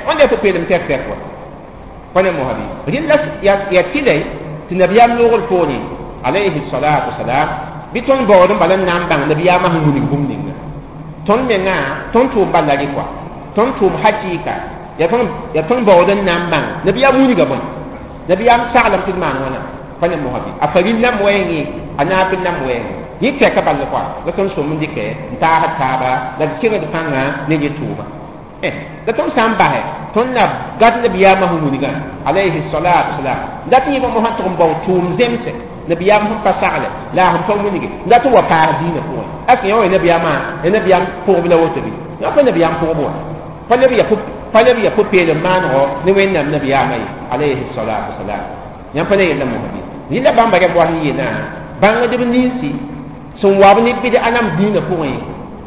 Speaker 1: wãnda yaa pʋ-peelem tɛk tɛk wa pa ne mosã bɩ rɩla yaa tɩlɛ tɩ nabiyaam loogr poorẽ alayhi salatu wasalam bɩ tõnd baood n bala n na n bãng nabiyaamã sẽn wilg bũmb ninga tõnd menga tõnd tʋʋm bala rɩ kɔa tõnd tʋʋm hakɩɩka yaa tõnd baood n na n bãng nabiyaam wilga bõe nabiyaam saglem tɩ d maan wãna pa ne mosã bɩ a faril nam wɛɛngẽ a naafɩl nam wɛɛngẽ yẽ tɛka bal kɔa la tõnd sõm n dɩkɛ n taasd taaba la d kẽngd pãnga ne yẽ tʋʋma La tõnd sã n basɛ tõnd na gat nabiyaamã sẽn wilgã alayhi salatu wasalam dat yẽba mosã tʋg n bao tʋʋm zemse nabiyaam sẽn pa sagle la a sẽn pa wilge dat n wa paas dĩinã pʋgẽ est ce yã wa nabiyaamã ya nabiyaam pʋgb la woto bɩ yã pa nabiyaam pʋgb wã pa leb ya pʋ-peelem maanego ne wẽnnaam nabiyaamã ye alayhi salatu wasalam yãmb pa ne yella mosã bɩ yɩla bãmba rɛm wa sẽn yeelã bãngdb ninsi sẽn wab ne bɩd-a nam dĩinã pʋgẽ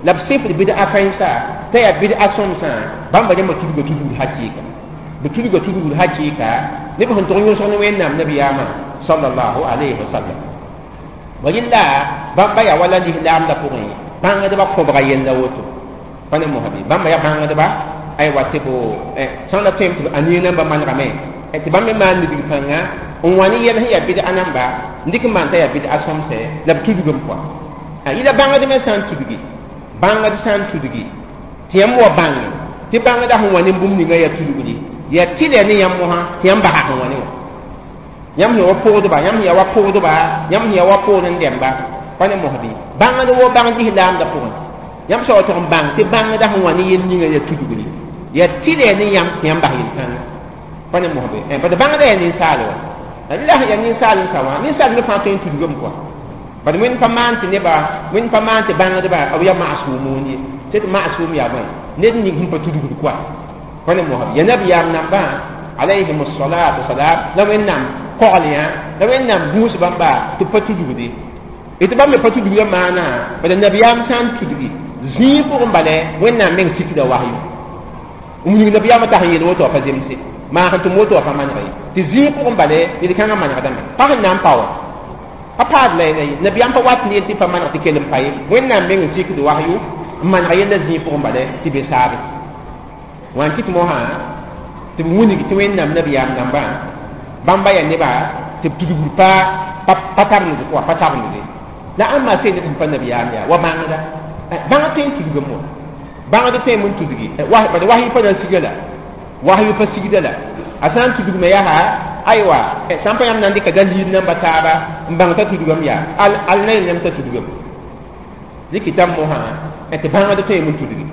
Speaker 1: la b sɩfd bɩd-a kãensa t'a yaa bɩd-a sõmsã bãmba rẽmbã tudga tudgd hakɩɩka b tudga tudgd hakɩɩka neb sẽn tʋg yõsg ne wẽnnaam nabiyaamã sallallahu alayhi wa sallam wa rɩlla bãmba yaa wala lislaamdã pʋgẽ bãngdbã kõbga yella woto pa ne mosã bɩ bãmba yaa bãngdba aywa tɩ b sã n la tõem tɩ b anie nambã manegame tɩ bãmb me maan nidg pãnga n wa ne yɛl sẽn yaa bɩd-a namba n dɩk n maan t'a yaa bɩd-a sõmsɛ la b tudgem pʋa yɩla bãngd me sã n tudgi bãngd sã n tudgi tɩ yãmb wa bãnge tɩ bãngda sẽn wa ne bũmb ninga yaa tudgdi yaa tɩlɛ ne yãmb mosã tɩ yãmb basa sẽn wa ne wã yãmb sẽn wa pʋgdba yãmb sẽn yaa wa pʋgdba yãmb sẽn yaa wa pʋgd n dɛmba pa ne mosã bɩ bãngd wo bãng lislaamdã pʋgẽ yãmb sã wa tʋg n bãng tɩ bãngda sẽn wa ne yel ninga yaa tudgdi yaa tɩlɛ ne yãmb tɩ yãmb bas yel-kãngã pa ne mosã bɩ bad bãngda yaa ninsaal wa la sẽn yaa ninsaal n sa wã ninsaal me fãa tõe n tudgame kɔa bad wẽnd pa maan tɩ neba wẽnd pa maan tɩ bãngdba b yaa maasʋʋm ye tɩ maasʋʋm yaa bõe ned ning sẽn pa tudgd koa pa ne mosã ya nabiyaam nambã alayhim salatu wasalam la wẽnnaam kogl yã la wẽnnaam gũus bãmba tɩ pa tudgde tɩ bãmb me pa tudgda maana bad nabiyaam sã n tudgi zĩig pʋgẽ bala wẽnnaam meng sikda wasyo n wilg nabiyaamã t'a sẽn yeel woto wã pa zemse maa sẽn tʋm woto wã pa maneg ye tɩ zĩig pʋgẽ bala yel-kãngã manegdame pa sẽn na n pa wa pa paad la ye nabiyaam pa wat ne yel tɩ pa maneg tɩ kell n pa ye wẽnnaam meng n sikd wasyo n maneg yella zĩig pʋgẽ bala tɩ be saabe wã n kɩt mosã tɩ b wilg tɩ wẽnnaam nabiyaam dãmbã bãmba yaa neba tɩ b tudgd pa pa tabend wa pa tabende la ãmba sẽn ned sẽn pa nabiyaam yaa wa bãngda bãng tõe n tudgame wa bãngd tõe n tudgi bad wasy pa na n siga la wasy pa sigda la a sã n tudgme yaa aywa sã n pa yãmb na n dɩka dalil namba taaba n bãng t'a tudgame yaa al na yel yãmb t'a tudgame dɩkɩtame mosã tɩ bãngd tõe n tudgi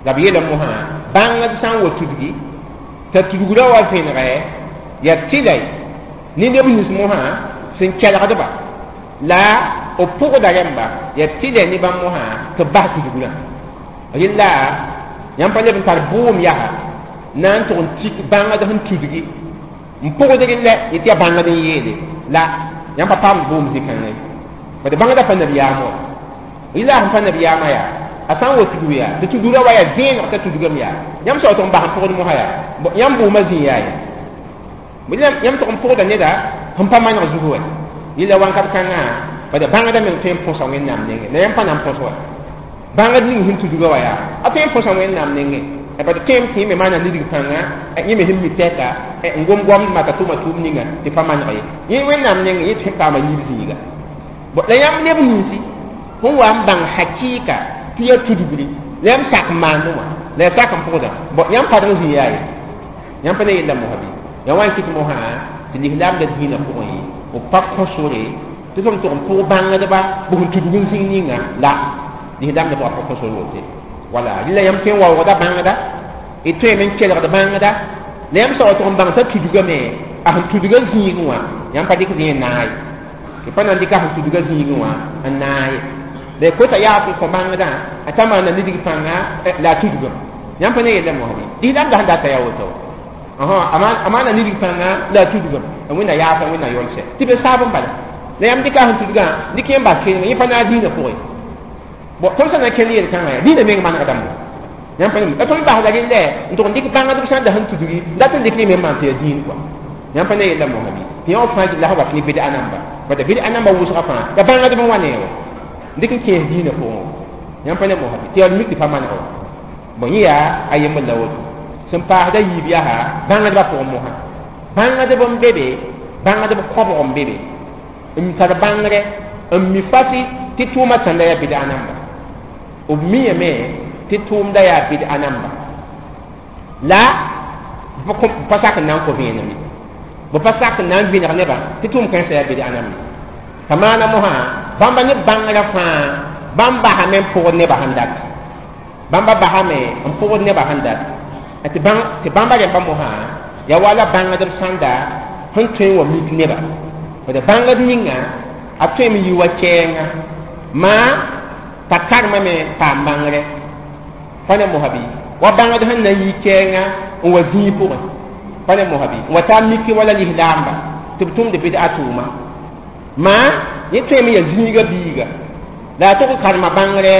Speaker 1: la b yeelame mosã bãngd sã n wa tudgi t'a tudgrã wa vẽnegɛ yaa tɩlɛ ne neb nins mosã sẽn kelgdba la b pʋgda rẽmba yaa tɩlɛ ne bãmb mosã tɩ b bas tudgrã rɩlla yãmb pa leb n tar bʋʋm yaa na n tʋg n tik bãngd sẽn tudgi n pʋgd rɩllɛ yetɩ yaa bãngd n yeele la yãmb pa paamd bʋʋm zĩ-kãngã ye bad bãngda pa nabiyaam wa rɩlla sẽn pa nabiyaamã yaa a sã n wa tudg yaa tɩ tudgrã wa yaa vẽeneg t'a tudgame yaa yãmb sã wa tʋg n bas n pʋgd mosã yaa yãmb bʋʋmã zĩ yaa ye yãmb tʋg n pʋgda neda sẽn pa maneg zug wa yella wãnkat kãngã bad bãngda meng tõe n põsa wẽnnaam nengẽ la yãmb pa na n põs wa bãngd ning sẽn tudga wa yaa a tõe n põsa wẽnnaam nengẽ bad tõem tɩ yẽ me maana nidg pãnga yẽ me sẽn mi tɛka n gom goamdmã t'a tʋma tʋʋm ninga tɩ pa maneg ye yẽ wẽnnaam nengẽ yẽ tõe n paama yiib zĩiga la yãmb neb ninsi sẽn wa n bãng hakɩɩka tɩ yaa tudgri la yãmb sak n maandẽ wã la yaa sak n pʋgda yãmb padg zĩ yaa ye yãmb pa ne yella mosã bɩ yaa wa n kɩt mosã tɩ lislaamdã dĩinã pʋgẽ b pa kõ sore tɩ fm tʋg n pʋg bãngdba b sẽn tudg n zĩng ninga la lislaamdã pʋgã pa kõ sore wote wala rɩla yãmb tõe n waoogda bãngda d tõeme n kelgd bãngda la yãmb sã wa tʋg n bãng t'a tudgame a sẽn tudga zĩigẽ wã yãmb pa dɩk zĩ n naag ye tɩ pa na n dɩka sẽn tudga zĩigẽ wã n naag ye la y kota yaas n kõ bãngdã a t'a maana nidg pãnga la a tudgame yãmb pa ne yella mosã bɩ lislaamdã sẽn data yaa woto a maana nidg pãnga la a tudgame wẽnna yaasa wẽnna yolsɛ tɩ be saab n bala la yãmb dɩka sẽn tudgã dɩk yẽm bas kẽnegẽ yẽ pa naag dĩinã pʋgẽ bon tõnd sã na n kell yel-kãngã yaa dĩinã meng manegdame yãmb pa la tõnd basda rɩllɛ n tʋg n dɩk bãngdb sã n da sẽn tudgi dat n dɩk ne me maan tɩ yaa dĩin kɔa yãmb pa ne yella mosã bɩ tɩ yã wã fãa gilla sã wat ne bɩd-a namba bad bɩd-a namba wʋsgã fãa yaa bãngdb n wa ne wa dɩk n kẽes dĩinã pʋgẽ yãmb pa ne mosã bɩ tɩ yaa mik tɩ pa maneg wa bon yẽ yaa a yembr la woto sẽn paasda yiib yaa bãngdbã pʋgẽ mosã bãngdb n be be bãngdb kõbg n be be n tar bãngrɛ n mi fasi tɩ tʋʋmã tãnda yaa bɩd-a namba b miame tɩ tʋʋmda yaa bɩd-a namba la b pa sak n na n kõ vẽenem ye b pa sak n na n vẽneg nebã tɩ tʋʋm kãensã yaa bɩd-a namba t'a maana mosã bãmba ne bãngrã fãa bãmb basame n pʋgd nebã sẽn dat bãmba basame n pʋgd nebã sẽn dat Tɩ bãmba rẽmba mosã ya wala bãngdb sãnda sẽn tõe n wa mik neba d bãngd ninga a tõeme yɩ wa kɛɛnga maa t'a karemame paam bãngre pa ne mosa bɩ wa bãngd sẽn na n yi kɛɛnga n wa zĩig pʋgẽ pa ne mosa bɩ n wa taa mik wala lislaamba tɩ b tʋmd bɩda tʋʋma maa yẽ tõeme ya zĩiga biiga la a tʋg karema bãngre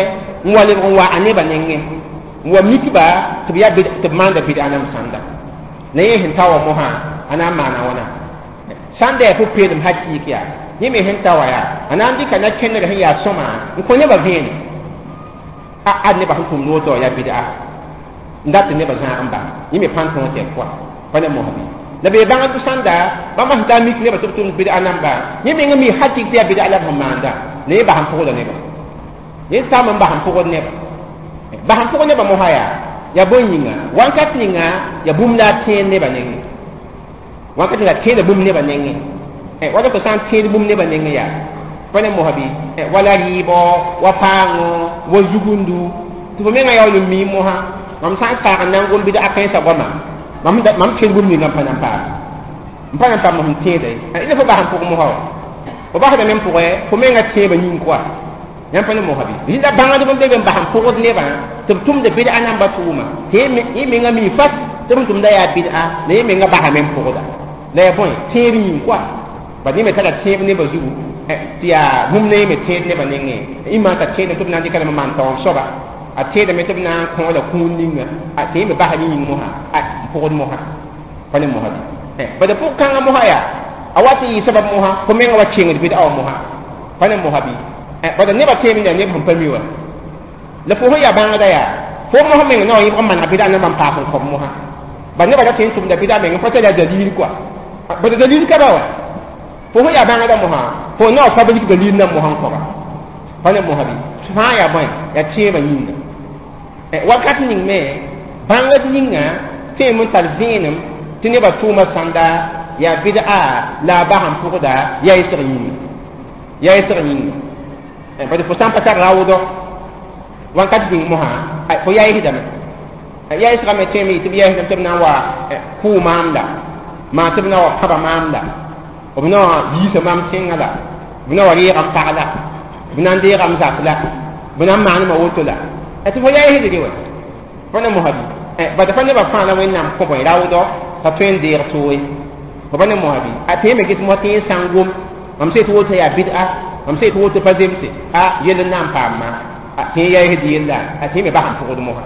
Speaker 1: n wa lebg n wa a nebã nengẽ n wa mikba tɩ b ya tɩ b maanda bɩda nam sãnda la yẽ sẽn ta wa mosã a na n maana wãna sãn da yaa pʋ-peelem hakɩɩk yaa yẽ me sẽn ta wa yaa a na n dɩka na-kẽndg sẽn yaa sõma n kõ nebã vẽene a ad nebã sẽn tʋmd woto yaa bɩda n dat tɩ nebã zãag n bas yẽ me pãn tõog tɩ yaa pʋa pa ne mosã bɩ la bee bãngd sãnda bãmba sẽn taa mik nebã tɩ b tʋmd bɩda namba yẽ meng mi hakɩɩk tɩ yaa bɩda la b sẽn maanda la yẽ bas n pʋgda nebã yẽ tam n bas n pʋgd nebã bas n pʋg nebã mosã yaa ya bõe yĩnga wãnkat ninga ya bũmb la a tẽed nebã nengẽ wãnkat ninga tẽeda bũmb nebã nengẽ wala fo sã n tẽed bũmb nebã nengẽ yaa pa ne mosã bɩ wala rɩɩbɔ wa paango wa zugundu tɩ fo menga yaool n mii mosã mam sã n saag n na n gom bɩd a kãensã goama mam tẽed bũmb ninga n pa na n paam n pa na n paam sẽn tẽeda ye la fo bas n pʋg mosã wa fo basdame n pʋgẽ fo menga tẽebã yĩng koa yãmb pa ne mosã bɩ rɩla bãngdb n be be n bas n pʋgd nebã tɩ b tʋmd bɩda namba tʋʋma tɩ yẽ menga mi fas tɩ b tʋmda yaa bɩda la yẽ menga basame n pʋgda la yaa bõe tẽeb yĩng koa bad yẽ me tara tẽeb nebã zugu tɩ yaa bũmb la yẽ me tẽed nebã nengẽ ĩmã t'a tẽedame tɩ b na n dɩka lame n maan taoor soaba a tẽedame tɩ b na n kõ la kũun ninga tɩ yẽ me basa yẽ yĩng mosã n pʋgd mosã pa ne mosã bɩ bad pʋg kãngã mosã yaa a wat n yɩ sabab mosã fo menga wa kengd bɩda wa mosã pa ne mosã bɩ bad nebã tẽeb n yaa neb sẽn pa mi wa la fo sẽn yaa bãngda yaa fo mosã meng na wa yẽbg n maneg bɩda namba n paas n kõb mosã bad nebã ra tõe n tʋmda bɩda meng n pa tara dalil koa bad dalil ka ba wa fo sẽn yaa bãngda mosã fo na wa fabrique dalil nan mosã n kõba pa ne mosã bɩ fãa yaa bõe yaa tẽebã yĩnga wakat ning me bãngd ninga tõem n tar vẽenem tɩ nebã tʋʋma sãnda yaa bɩda la a bas n pʋgda yaa yesg yĩnga yaa yesg yĩnga bad fo sã n pa tar raoodɔ wãnkat bĩng mosã fo yaa yesdame yaa yesgame tõeme yɩ tɩ b yaa yesdame tɩ b na n wa kʋʋ maam la maa tɩ b na wa pãba maam la b na wa yiisa maam tẽngã la b na wa reega n pag la b na n deega m zak la b na n maanema woto la tɩ fo yaa yesdge wa fo na mosã bɩ bad fa nebã fãa la wẽnnaam kõ bõe raoodɔ t'a tõe n deeg tooe fo pa ne mosã bɩ a tẽeme ges mosã tɩ yẽ sã n gom mam sã tɩ woto yaa bɩda mam sã tɩ woto pa zemse a yell n na n paamma tɩ yẽ yaa yesd yella a tɩ yẽ me bas n pʋgd mosã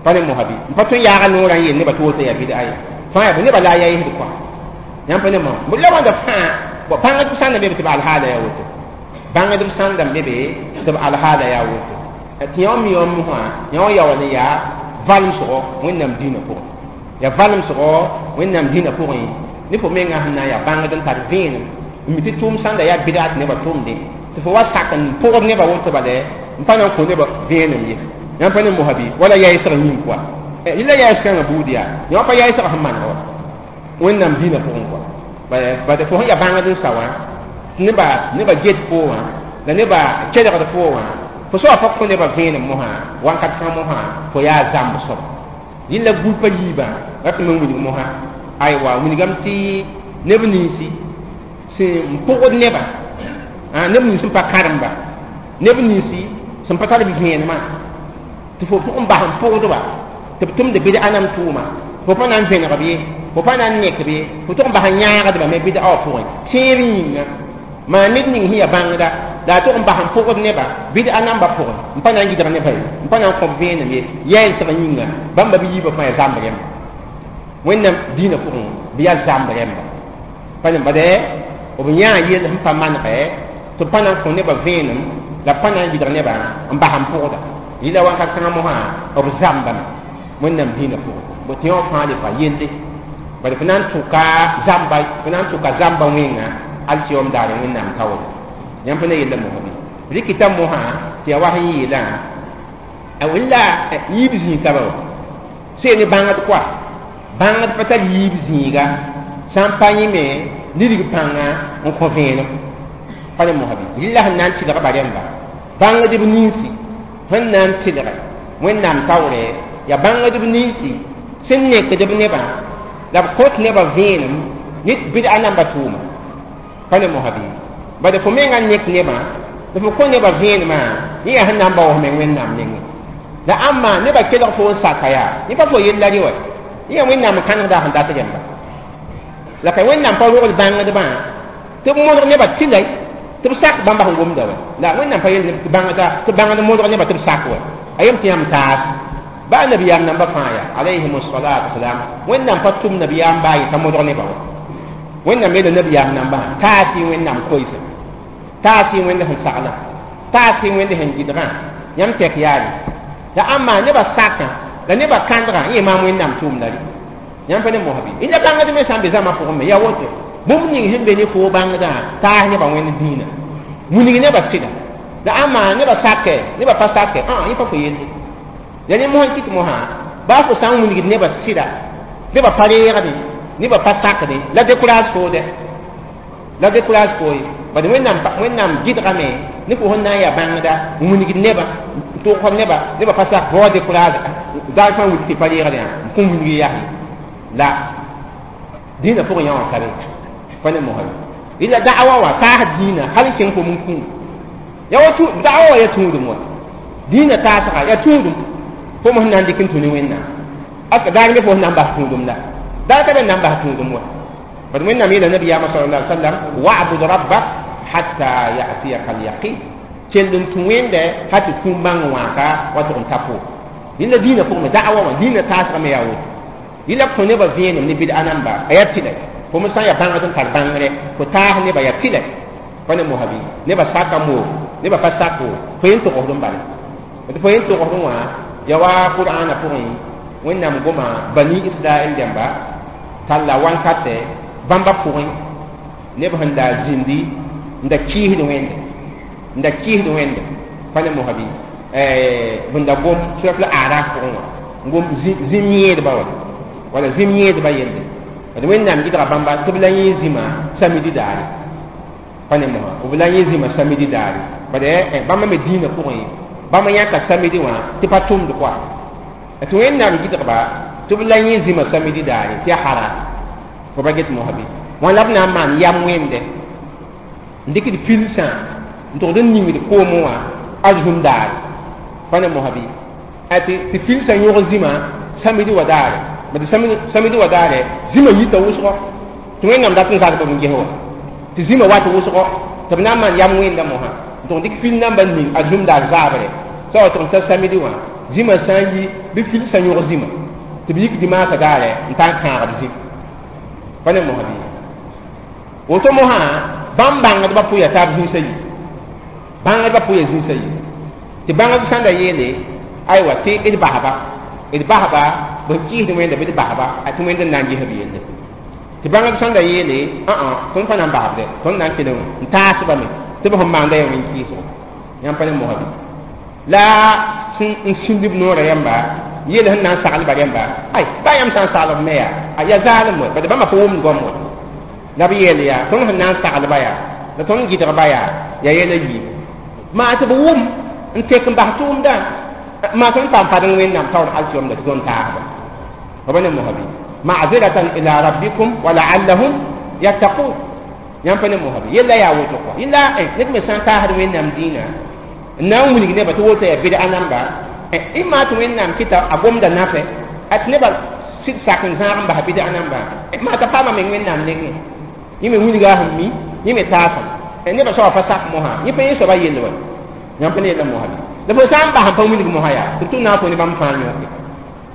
Speaker 1: pa ne mosã bɩ n pa tõe n yaaga noorã n yeel nebã tɩ woto yaa bɩda ye fãa yaa nebã la a yaa yesd kɔa yãmb pa ne mosã la wãnda fãa bãngdb sãn da be tɩ b alhaala yaa woto bãngdb sãn da be tɩ b alhaala yaa woto tɩ yõ mi yõ mosã yõ yaool n yaa valemsgo wẽnnaam dĩinã pʋgẽ yaa valemsgo wẽnnaam dĩinã pʋgẽ ne fo menga sẽn na n yaa bãngd n tar vẽenem n mi tɩ tʋʋm sãnda yaa bɩda tɩ nebã tʋmdẽ tɩ fo wa sak n pʋgd nebã woto bala n pa na n kõ nebã vẽenem ye yãmb pa ne mosã bɩ wala yaa yesg yĩng koa la yaa yesg-kãngã buud yaa yõ pa yaa yesg sẽn maneg wa wẽnnaam dĩinã pʋgẽ koa bad fo sẽn yaa bãngd n sa wã nebã get fo wã la nebã kelgd fo wã fo soa pa kõ nebã vẽenem mosã wãnkat kãng mosã fo yaa zãmb soaba yẽla gũpa yiibã rat me wilg mosã aywa wilgame tɩ neb ninsi sẽn pʋgd nebã neb nins sẽn pa kãremba neb ninsi sẽn pa tar vẽenemã tɩ fo pʋgẽ bas n pʋgdba tɩ b tʋmd bɩd ãnam tʋʋma fo pa na n vẽneg ye fo pa na n nek ye fo tʋg n bas n yãagdba me bɩd a wã pʋgẽ tẽeb yĩnga maa ned ning sẽn yaa bãngda la a tʋg n bas n pʋgd nebã bɩd a namba pʋgẽ n pa na n gɩdg nebã ye n pa na n kõb vẽenem ye yɛɛsg yĩnga bãmba bɩ yiibã fãa yaa zãmb rẽmba wẽnnaam dĩinã pʋgẽ bɩ yaa zãmb rẽmba pa ne bade b yãa yell sẽn pa manegɛ tɩ pa na n kõ nebã vẽenem la pa na n gɩdg nebã n bas n pʋgda yɩla wãnkat kãngã mosã b zãmbame wẽnnaam dĩinã pʋgẽ bo tɩ yõ fãa le pa yelle bad fo na n tʋka zãmba fo na n tʋka zãmba wẽnga alkiyom daare wẽnnaam taoore yãmb pa na yella mosã bɩ rɩkɩta mosã tɩ yaa wa sẽn yeelã wẽnla yiib zĩig ka ba wa sẽn ne bãngd koa bãngd pa tar yiib zĩiga sã n pa yẽ me lirig pãnga n kõ vẽenem pa ne mosã bɩ rɩla sẽn na n tɩlg ba rẽmba bãngdb ninsi sẽn na n tɩlge wẽnnaam taoore yaa bãngdb ninsi Sẽn nekd b nebã la b kõt nebã vẽenem ne bɩd'a namba tʋʋma pa ne mosa bɩ bad fo menga nek nebã la fo kõ nebã vẽenemã yẽ yaa sẽn na n baoos meng Wẽnnaam nengẽ la ãmba nebã kelg fo n saka yaa yẽ pa fo yella rɩ wa yẽ yaa Wẽnnaam n kãnesda sẽn dat rẽmba la ka Wẽnnaam pa rogl bãngdbã tɩ b modg nebã tɩlay tɩ b sak bãmba sẽn gomda wa la Wẽnnaam pa yel tɩ bãngda tɩ bãngd modg nebã tɩ b sak wa a yem tɩ yãmb taas baa nabiyaam namba fãa yaa alayhim salatu wasalam Wẽnnaam pa tʋm nabiyaam baa yeta modg nebã wa Wẽnnaam yeela nabiyaam nambã taas y Wẽnnaam koeesa taas y Wẽnd sẽn saglã taas y Wẽnd sẽn gɩdgã yãmb tɛk yaare la ãmba nebã sakã la nebã kãndgã yẽ maam Wẽnnaam tʋʋmda rɩ yãmb pa ne mosã bɩ la bãngd me sã n be zãma pʋgẽ me yaa woto bũmb ning sẽn be ne foo bãngdã taas nebã Wẽnd dĩinã wilg nebã sɩda la ãmba nebã sakɛ nebã pa sakɛ yẽ pa fo yelle ya ne mosã kɩt mosã baa fo sã n wilgd nebã sɩda nebã pa reegdẽ nebã pa sakdẽ la décourage foode la décourage fo ye bad Wẽnnaam gɩdgame ne fo sẽn na n yaa bãngda n wilgd nebã n tʋgsd nebã nebã pa sak fo wa décourage daar fãa wilg tɩ pa reegdẽ n kõn wilg yas la dĩinã pʋgẽ yã wã ka be pa ne mosã ye la da'awa wã taas dĩinã hal n kẽng fo n kũum ya wa da'awa wã yaa tũudum wa dĩinã taasga yaa tũudum fo mos na n dɩk n tũ ne Wẽnnaam aska daar me fo sẽn na n bas tũudum la daar ka be n na n bas tũudum wa bad Wẽnnaam yeela nabiyaamã sallallahu alaihi wasallam wa'bud rabbak hatta ya'tiyaka al-yaqin kell n tũ Wẽnde hal tɩ kũum bãng wãaka wa tʋg n ta fo yẽla dĩinã pʋgẽ me da'awa wã dĩinã taasga me yaa woto yẽla kõ nebã vẽenem ne bɩd'a namba a yaa tɩlɛ fo me sã n yaa bãngd n tar bãngre fo taas nebã yaa tɩlɛ pa ne mosã bɩ nebã saka moo nebã pa sak o fo yen togsd n bala tɩ fo yen togsd wã ya wa Qur'ana pʋgẽ Wẽnnaam goma bani Israɛl dẽmba talla wankatɛ bãmba pʋgẽ neb sẽn da zĩndi n da kɩɩsd Wẽnde n da kɩɩsd Wẽnde pa ne mosã bɩ sẽn da gom surat la Araf pʋgẽ wã n gom zĩm yẽedba wa wala zĩm yẽedba yelle d Wẽnnaam gɩdga bãmba tɩ b la yẽ zĩma samidi daare pa ne mosã b la yẽ zĩma samidi daare bad bãmba me dĩinã pʋgẽ bãmba yãka samidi wã tɩ pa tʋmd koa tɩ Wẽnnaam gɩdgba tɩ b la yẽ zĩma samidi daare tɩ yaa haram fo pa get mosã bɩ wã la b na n maan yam wẽnde n dɩkd pilsã n tʋgd n ningd koomẽ wã arzũm daare pa ne mosã bɩ tɩ pilsã yõg zĩma samidi wa daare bad samidi wa daare zĩma yita wʋsgɔ tɩ Wẽnnaam dat n zagb b n ges wa tɩ zĩma wat wʋsgɔ tɩ b na n maan yam wẽnda mosã n tʋg dɩk fil namba ning a zũm daar zaabre sã wa tʋg n ta samidi wã zĩma sã n yi bɩ filsã yõg zĩma tɩ b yik dimaasã daare n taa n kãagb zĩm pa ne mosã bɩ woto mosã bãmb bãngdbã pʋya taab zĩnsã yi bãngdbã pʋya zĩnsã yi tɩ bãngd sã n da yeele aywa tɩ d basba d basba b kɩɩsd Wẽnda bɩ d basba a tɩ Wẽnd n na n ges b yelle tɩ bãngd sã n da yeele tõnd pa na n basbde tõnd na n kelg n taasbame tɩ b sẽn maanda yaa wẽn kɩɩsgo yãmb pa ne mosã bɩ la n sĩnd b noorã yãmba yeel sẽn na n saglba rẽmba ay baa yãmb sã n saglb me yaa yaa zaalem we bad bãmba pa wʋmd goam wa la b yeel yaa tõnd sẽn na n saglba yaa la tõnd gɩdgba yaa yaa yɛla yiib maa tɩ b wʋm n tek n bas tʋʋmdã maa tõnd paam padeng Wẽnnaam taoor alkiyomda tɩ tõnd taasba fa ba ne mosã bɩ ma'ziratan ila rabbikum wa la'allahum yattaqun yãmb pa ne mosã bɩ yella yaa woto kɔa yella ned me sã n taasd Wẽnnaam dĩinã n na n wilg nebã tɩ woto yaa bɩd'a namba y maa tɩ Wẽnnaam kɩta a gomda nafɛ a tɩ nebã sɩd sak n zãag n bas bɩd'a namba maa t'a paama meng Wẽnnaam nengẽ yẽ me wilga sẽn mi yẽ me taasem nebã soaba pa sak mosã yẽ pa yẽ soaba yell wa yãmb pa ne yella mosã bɩ la fo sã n bas n pa wilg mosã yaa tɩ tʋ na n fo ne bãmb fãa yõke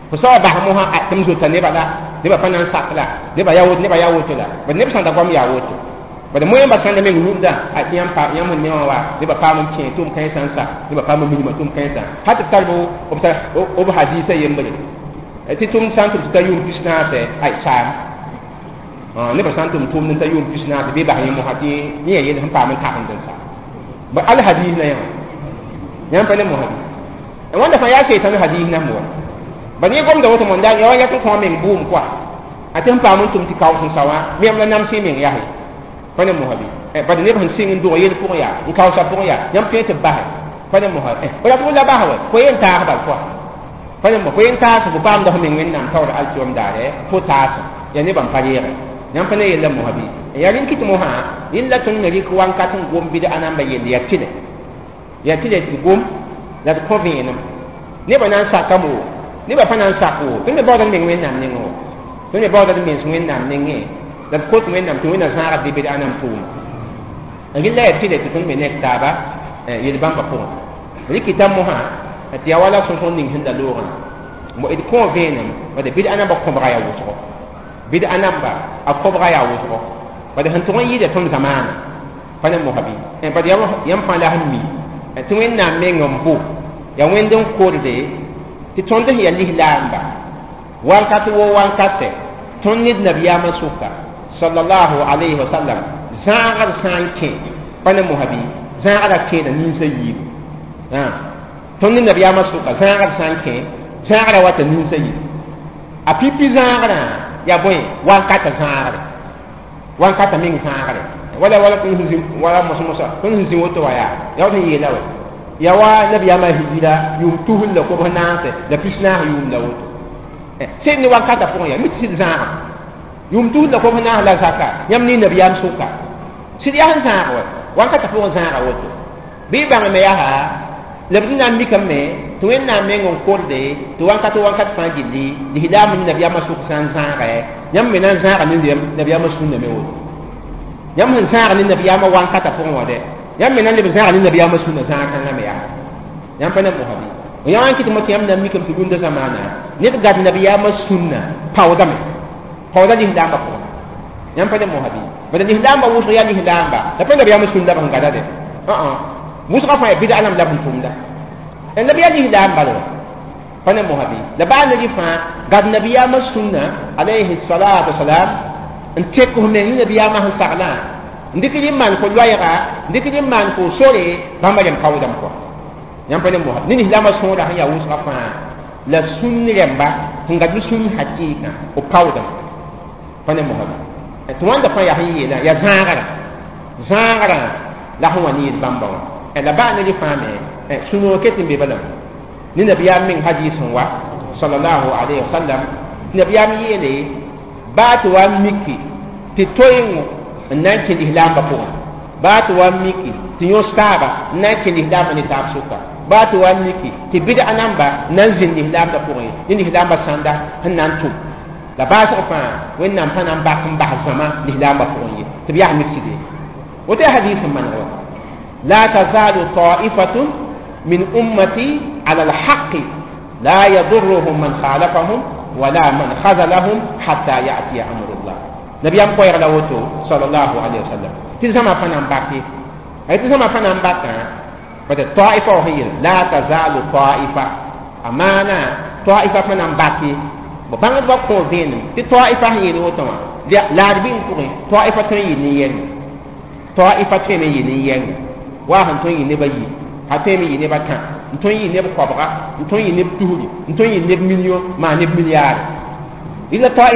Speaker 1: fo soaba bas mosã tɩ m zota nebã la nebã pa na n sak la nebã yaa woto nebã yaa woto la bad neb sã n da goam yaa woto bad moẽmba sã n da meng rũndã tɩ yãmb sẽn me wã wa nebã paam n kẽ tʋʋm kãensã n sa nebã paam n minimã tʋʋm kãensã hal tɩ b tar b hadiisã yembre tɩ tʋmd sã n tʋm tɩ ta yʋʋm pisnaasɛ ay saam nebã sã n tʋm tʋʋmd n ta yʋʋm pisnaasɛ bɩ bas yẽ mosã tɩ yẽ yaa yell sẽn paam n tagemd n sa ba al hadiis la yã yãmb pa ne mosã bɩ wãnda fãa yaa seitan hadiis nam wa bad yẽ gomda woto monda ya wa yak n kõ meng bʋʋm koa a tɩ sẽn paam n tʋm tɩ kaoos n sa wã meem la namsẽ meng yase pa ne mosã bɩ bad neb sẽn sɩng n dog yel pʋgẽ yaa n kaoosa pʋgẽ yaa yãmb tõe tɩ b basɛ pa ne mosã b rat la bas wa fo yen taas bal koa Pa ne fo yen taas fo paamda fo meng Wẽnnaam taoor alkiyom daare fo taas ya nebã n pa reege yãmb pa ne yella mosã bɩ ya rẽn kɩt mosã rẽn la tõnd me rɩk wankat n gom bɩd a namba yell ya tɩlɛ ya tɩlɛ tɩ gom la d kõ vẽenem nebã na n sakame wo nebã pa na n sak wo tõnd me baood d meng Wẽnnaam nengẽ wo tõnd me baooda d mens Wẽnnaam nengẽ la d kot Wẽnnaam tɩ Wẽnnaam zãaga bɩ bɩd a nam tʋʋma rɩla ya tɩlɛ tɩ tõnd me nek taaba yel bãmba pʋgẽ rɩkɩta mosã tɩ ya wala sõsg ning sẽn da loogã d kõ vẽenem bad bɩd a namba kõbga yaa wʋsgo bɩd a namba a kõbga yaa wʋsgo bad sẽn tʋg n yɩɩda tõnd zamaana pa ne mosã bɩ bad yãmb fãa la sẽn mi tɩ Wẽnnaam meng n bo ya Wẽnd n korde tɩ tõnd sẽn yaa lislaamba wankat wo wankatɛ tõnd ned nabiyaamã sʋka sallallahu alayhi wa sallam zãagd sã n kẽ pa ne mosã bɩ zãagda kẽeda ninsã yiibu tõnd ne nabiyaamã sʋka zãagd sã n kẽ zãagrã wata ninsã yiibu a pipi zãagrã yaa bõe wankata zãagre wankata meng zãagre wala wala tõnd sẽn zĩ wala mos-mosa tõnd sẽn zĩ woto wa yaa yaa wa sẽn yeela wa ya wa nabiyaamã hijira yʋʋm tusr la kobs naase la 14 yʋʋm la woto sẽd ne wankata pʋgẽ yaa mi tɩ sɩd zãagã yʋʋm tusr la kobs naas la zaka yãmb ne nabiyaam sʋka sɩd yaa sẽn zãag wa wankata pʋgẽ zãaga woto bɩ bãng me yaa la b na n mikame tɩ Wẽnnaam meng n korde tɩ wankat wankat fãa gilli lislaam ne nabiyaamã sʋk sã n zãagɛ yãmb me na n zãaga ne nabiyaamã sũnna me woto yãmb sẽn zãag ne nabiyaamã wankata pʋgẽ wã dɛ yãmb me na n leb zãag ne nabiyaamã sũnna zãag kãngã me yaa yãmb pa ne mosã bɩ yã wã n kɩt mo tɩ yãmb na n mikame tɩ rũndã zamaana ned gad nabiyaamã sũnna paoodame paooda lislaambã pʋgẽ yãmb pa ne mosã bɩ bala lislaambã wʋsg yaa lislaamba la pa nabiyaamã sũnna b sẽn gada dɛ wʋsgã fãa yaa bɩda lam la b sẽn tʋmda nabiya lislaam bala pa ne mosã bɩ la baa ned fãa gad nabiyaamã sũnna alayhi salatu wasalam n tek f meng ne nabiyaamã sẽn saglã n dɩk rɩ maan fo loɛɛga n dɩk rɩ maan fo sore bãmba rẽm paoodame kɔa yãmb pa ne mosã ne lislaamã sõora sẽn yaa wʋsgã fãa la sũn rẽmba sẽn gad b sũn hakɩɩkã b paoodame pa ne mosã bɩ tɩ wãnda fãa yaa sẽn yeelã yaa zãagrã zãagrã la sẽn wa ne yel bãmba wã la baa ne rɩ fãa me sũ-noog ket n be bala ne nabiyaam meng hadis n wa sallallahu alayhi wa sallam nabiyaam yeele baa tɩ wa n miki tɩ toengo n na n kẽ lislaambã pʋgẽ baa tɩ wa n miki tɩ yõs taaba n na n kẽ lislaambã ne taab sʋka baa tɩ wa n miki tɩ bɩd'a namba n na n zĩnd lislaambã pʋgẽ ne lislaambã sãnda sẽn na n tʋm la baasg fãa Wẽnnaam pa na n bak n bas zãma lislaambã pʋgẽ ye tɩ b yaa miksde woto yaa hadis n maneg wa لا تزال طائفة من أمتي على الحق لا يضرهم من خالفهم ولا من خذلهم حتى يأتي أمر الله نبي أم قوير لوتو صلى الله عليه وسلم تزما فنان باكي أي تزما فنان باكي بس طائفة وهي لا تزال طائفة أمانة طائفة فنان باكي بانغ بقول دين تي طائفة هي لوتو لا ربين كوري طائفة تنين طائفة تنين wa sẽn tõe n yɩ neb a yi a tõe me yɩ neb a tã n tõe n yɩ neb koabga n tõe n yɩ neb tusri n tõe n yɩ neb million maa neb milliard rɩla.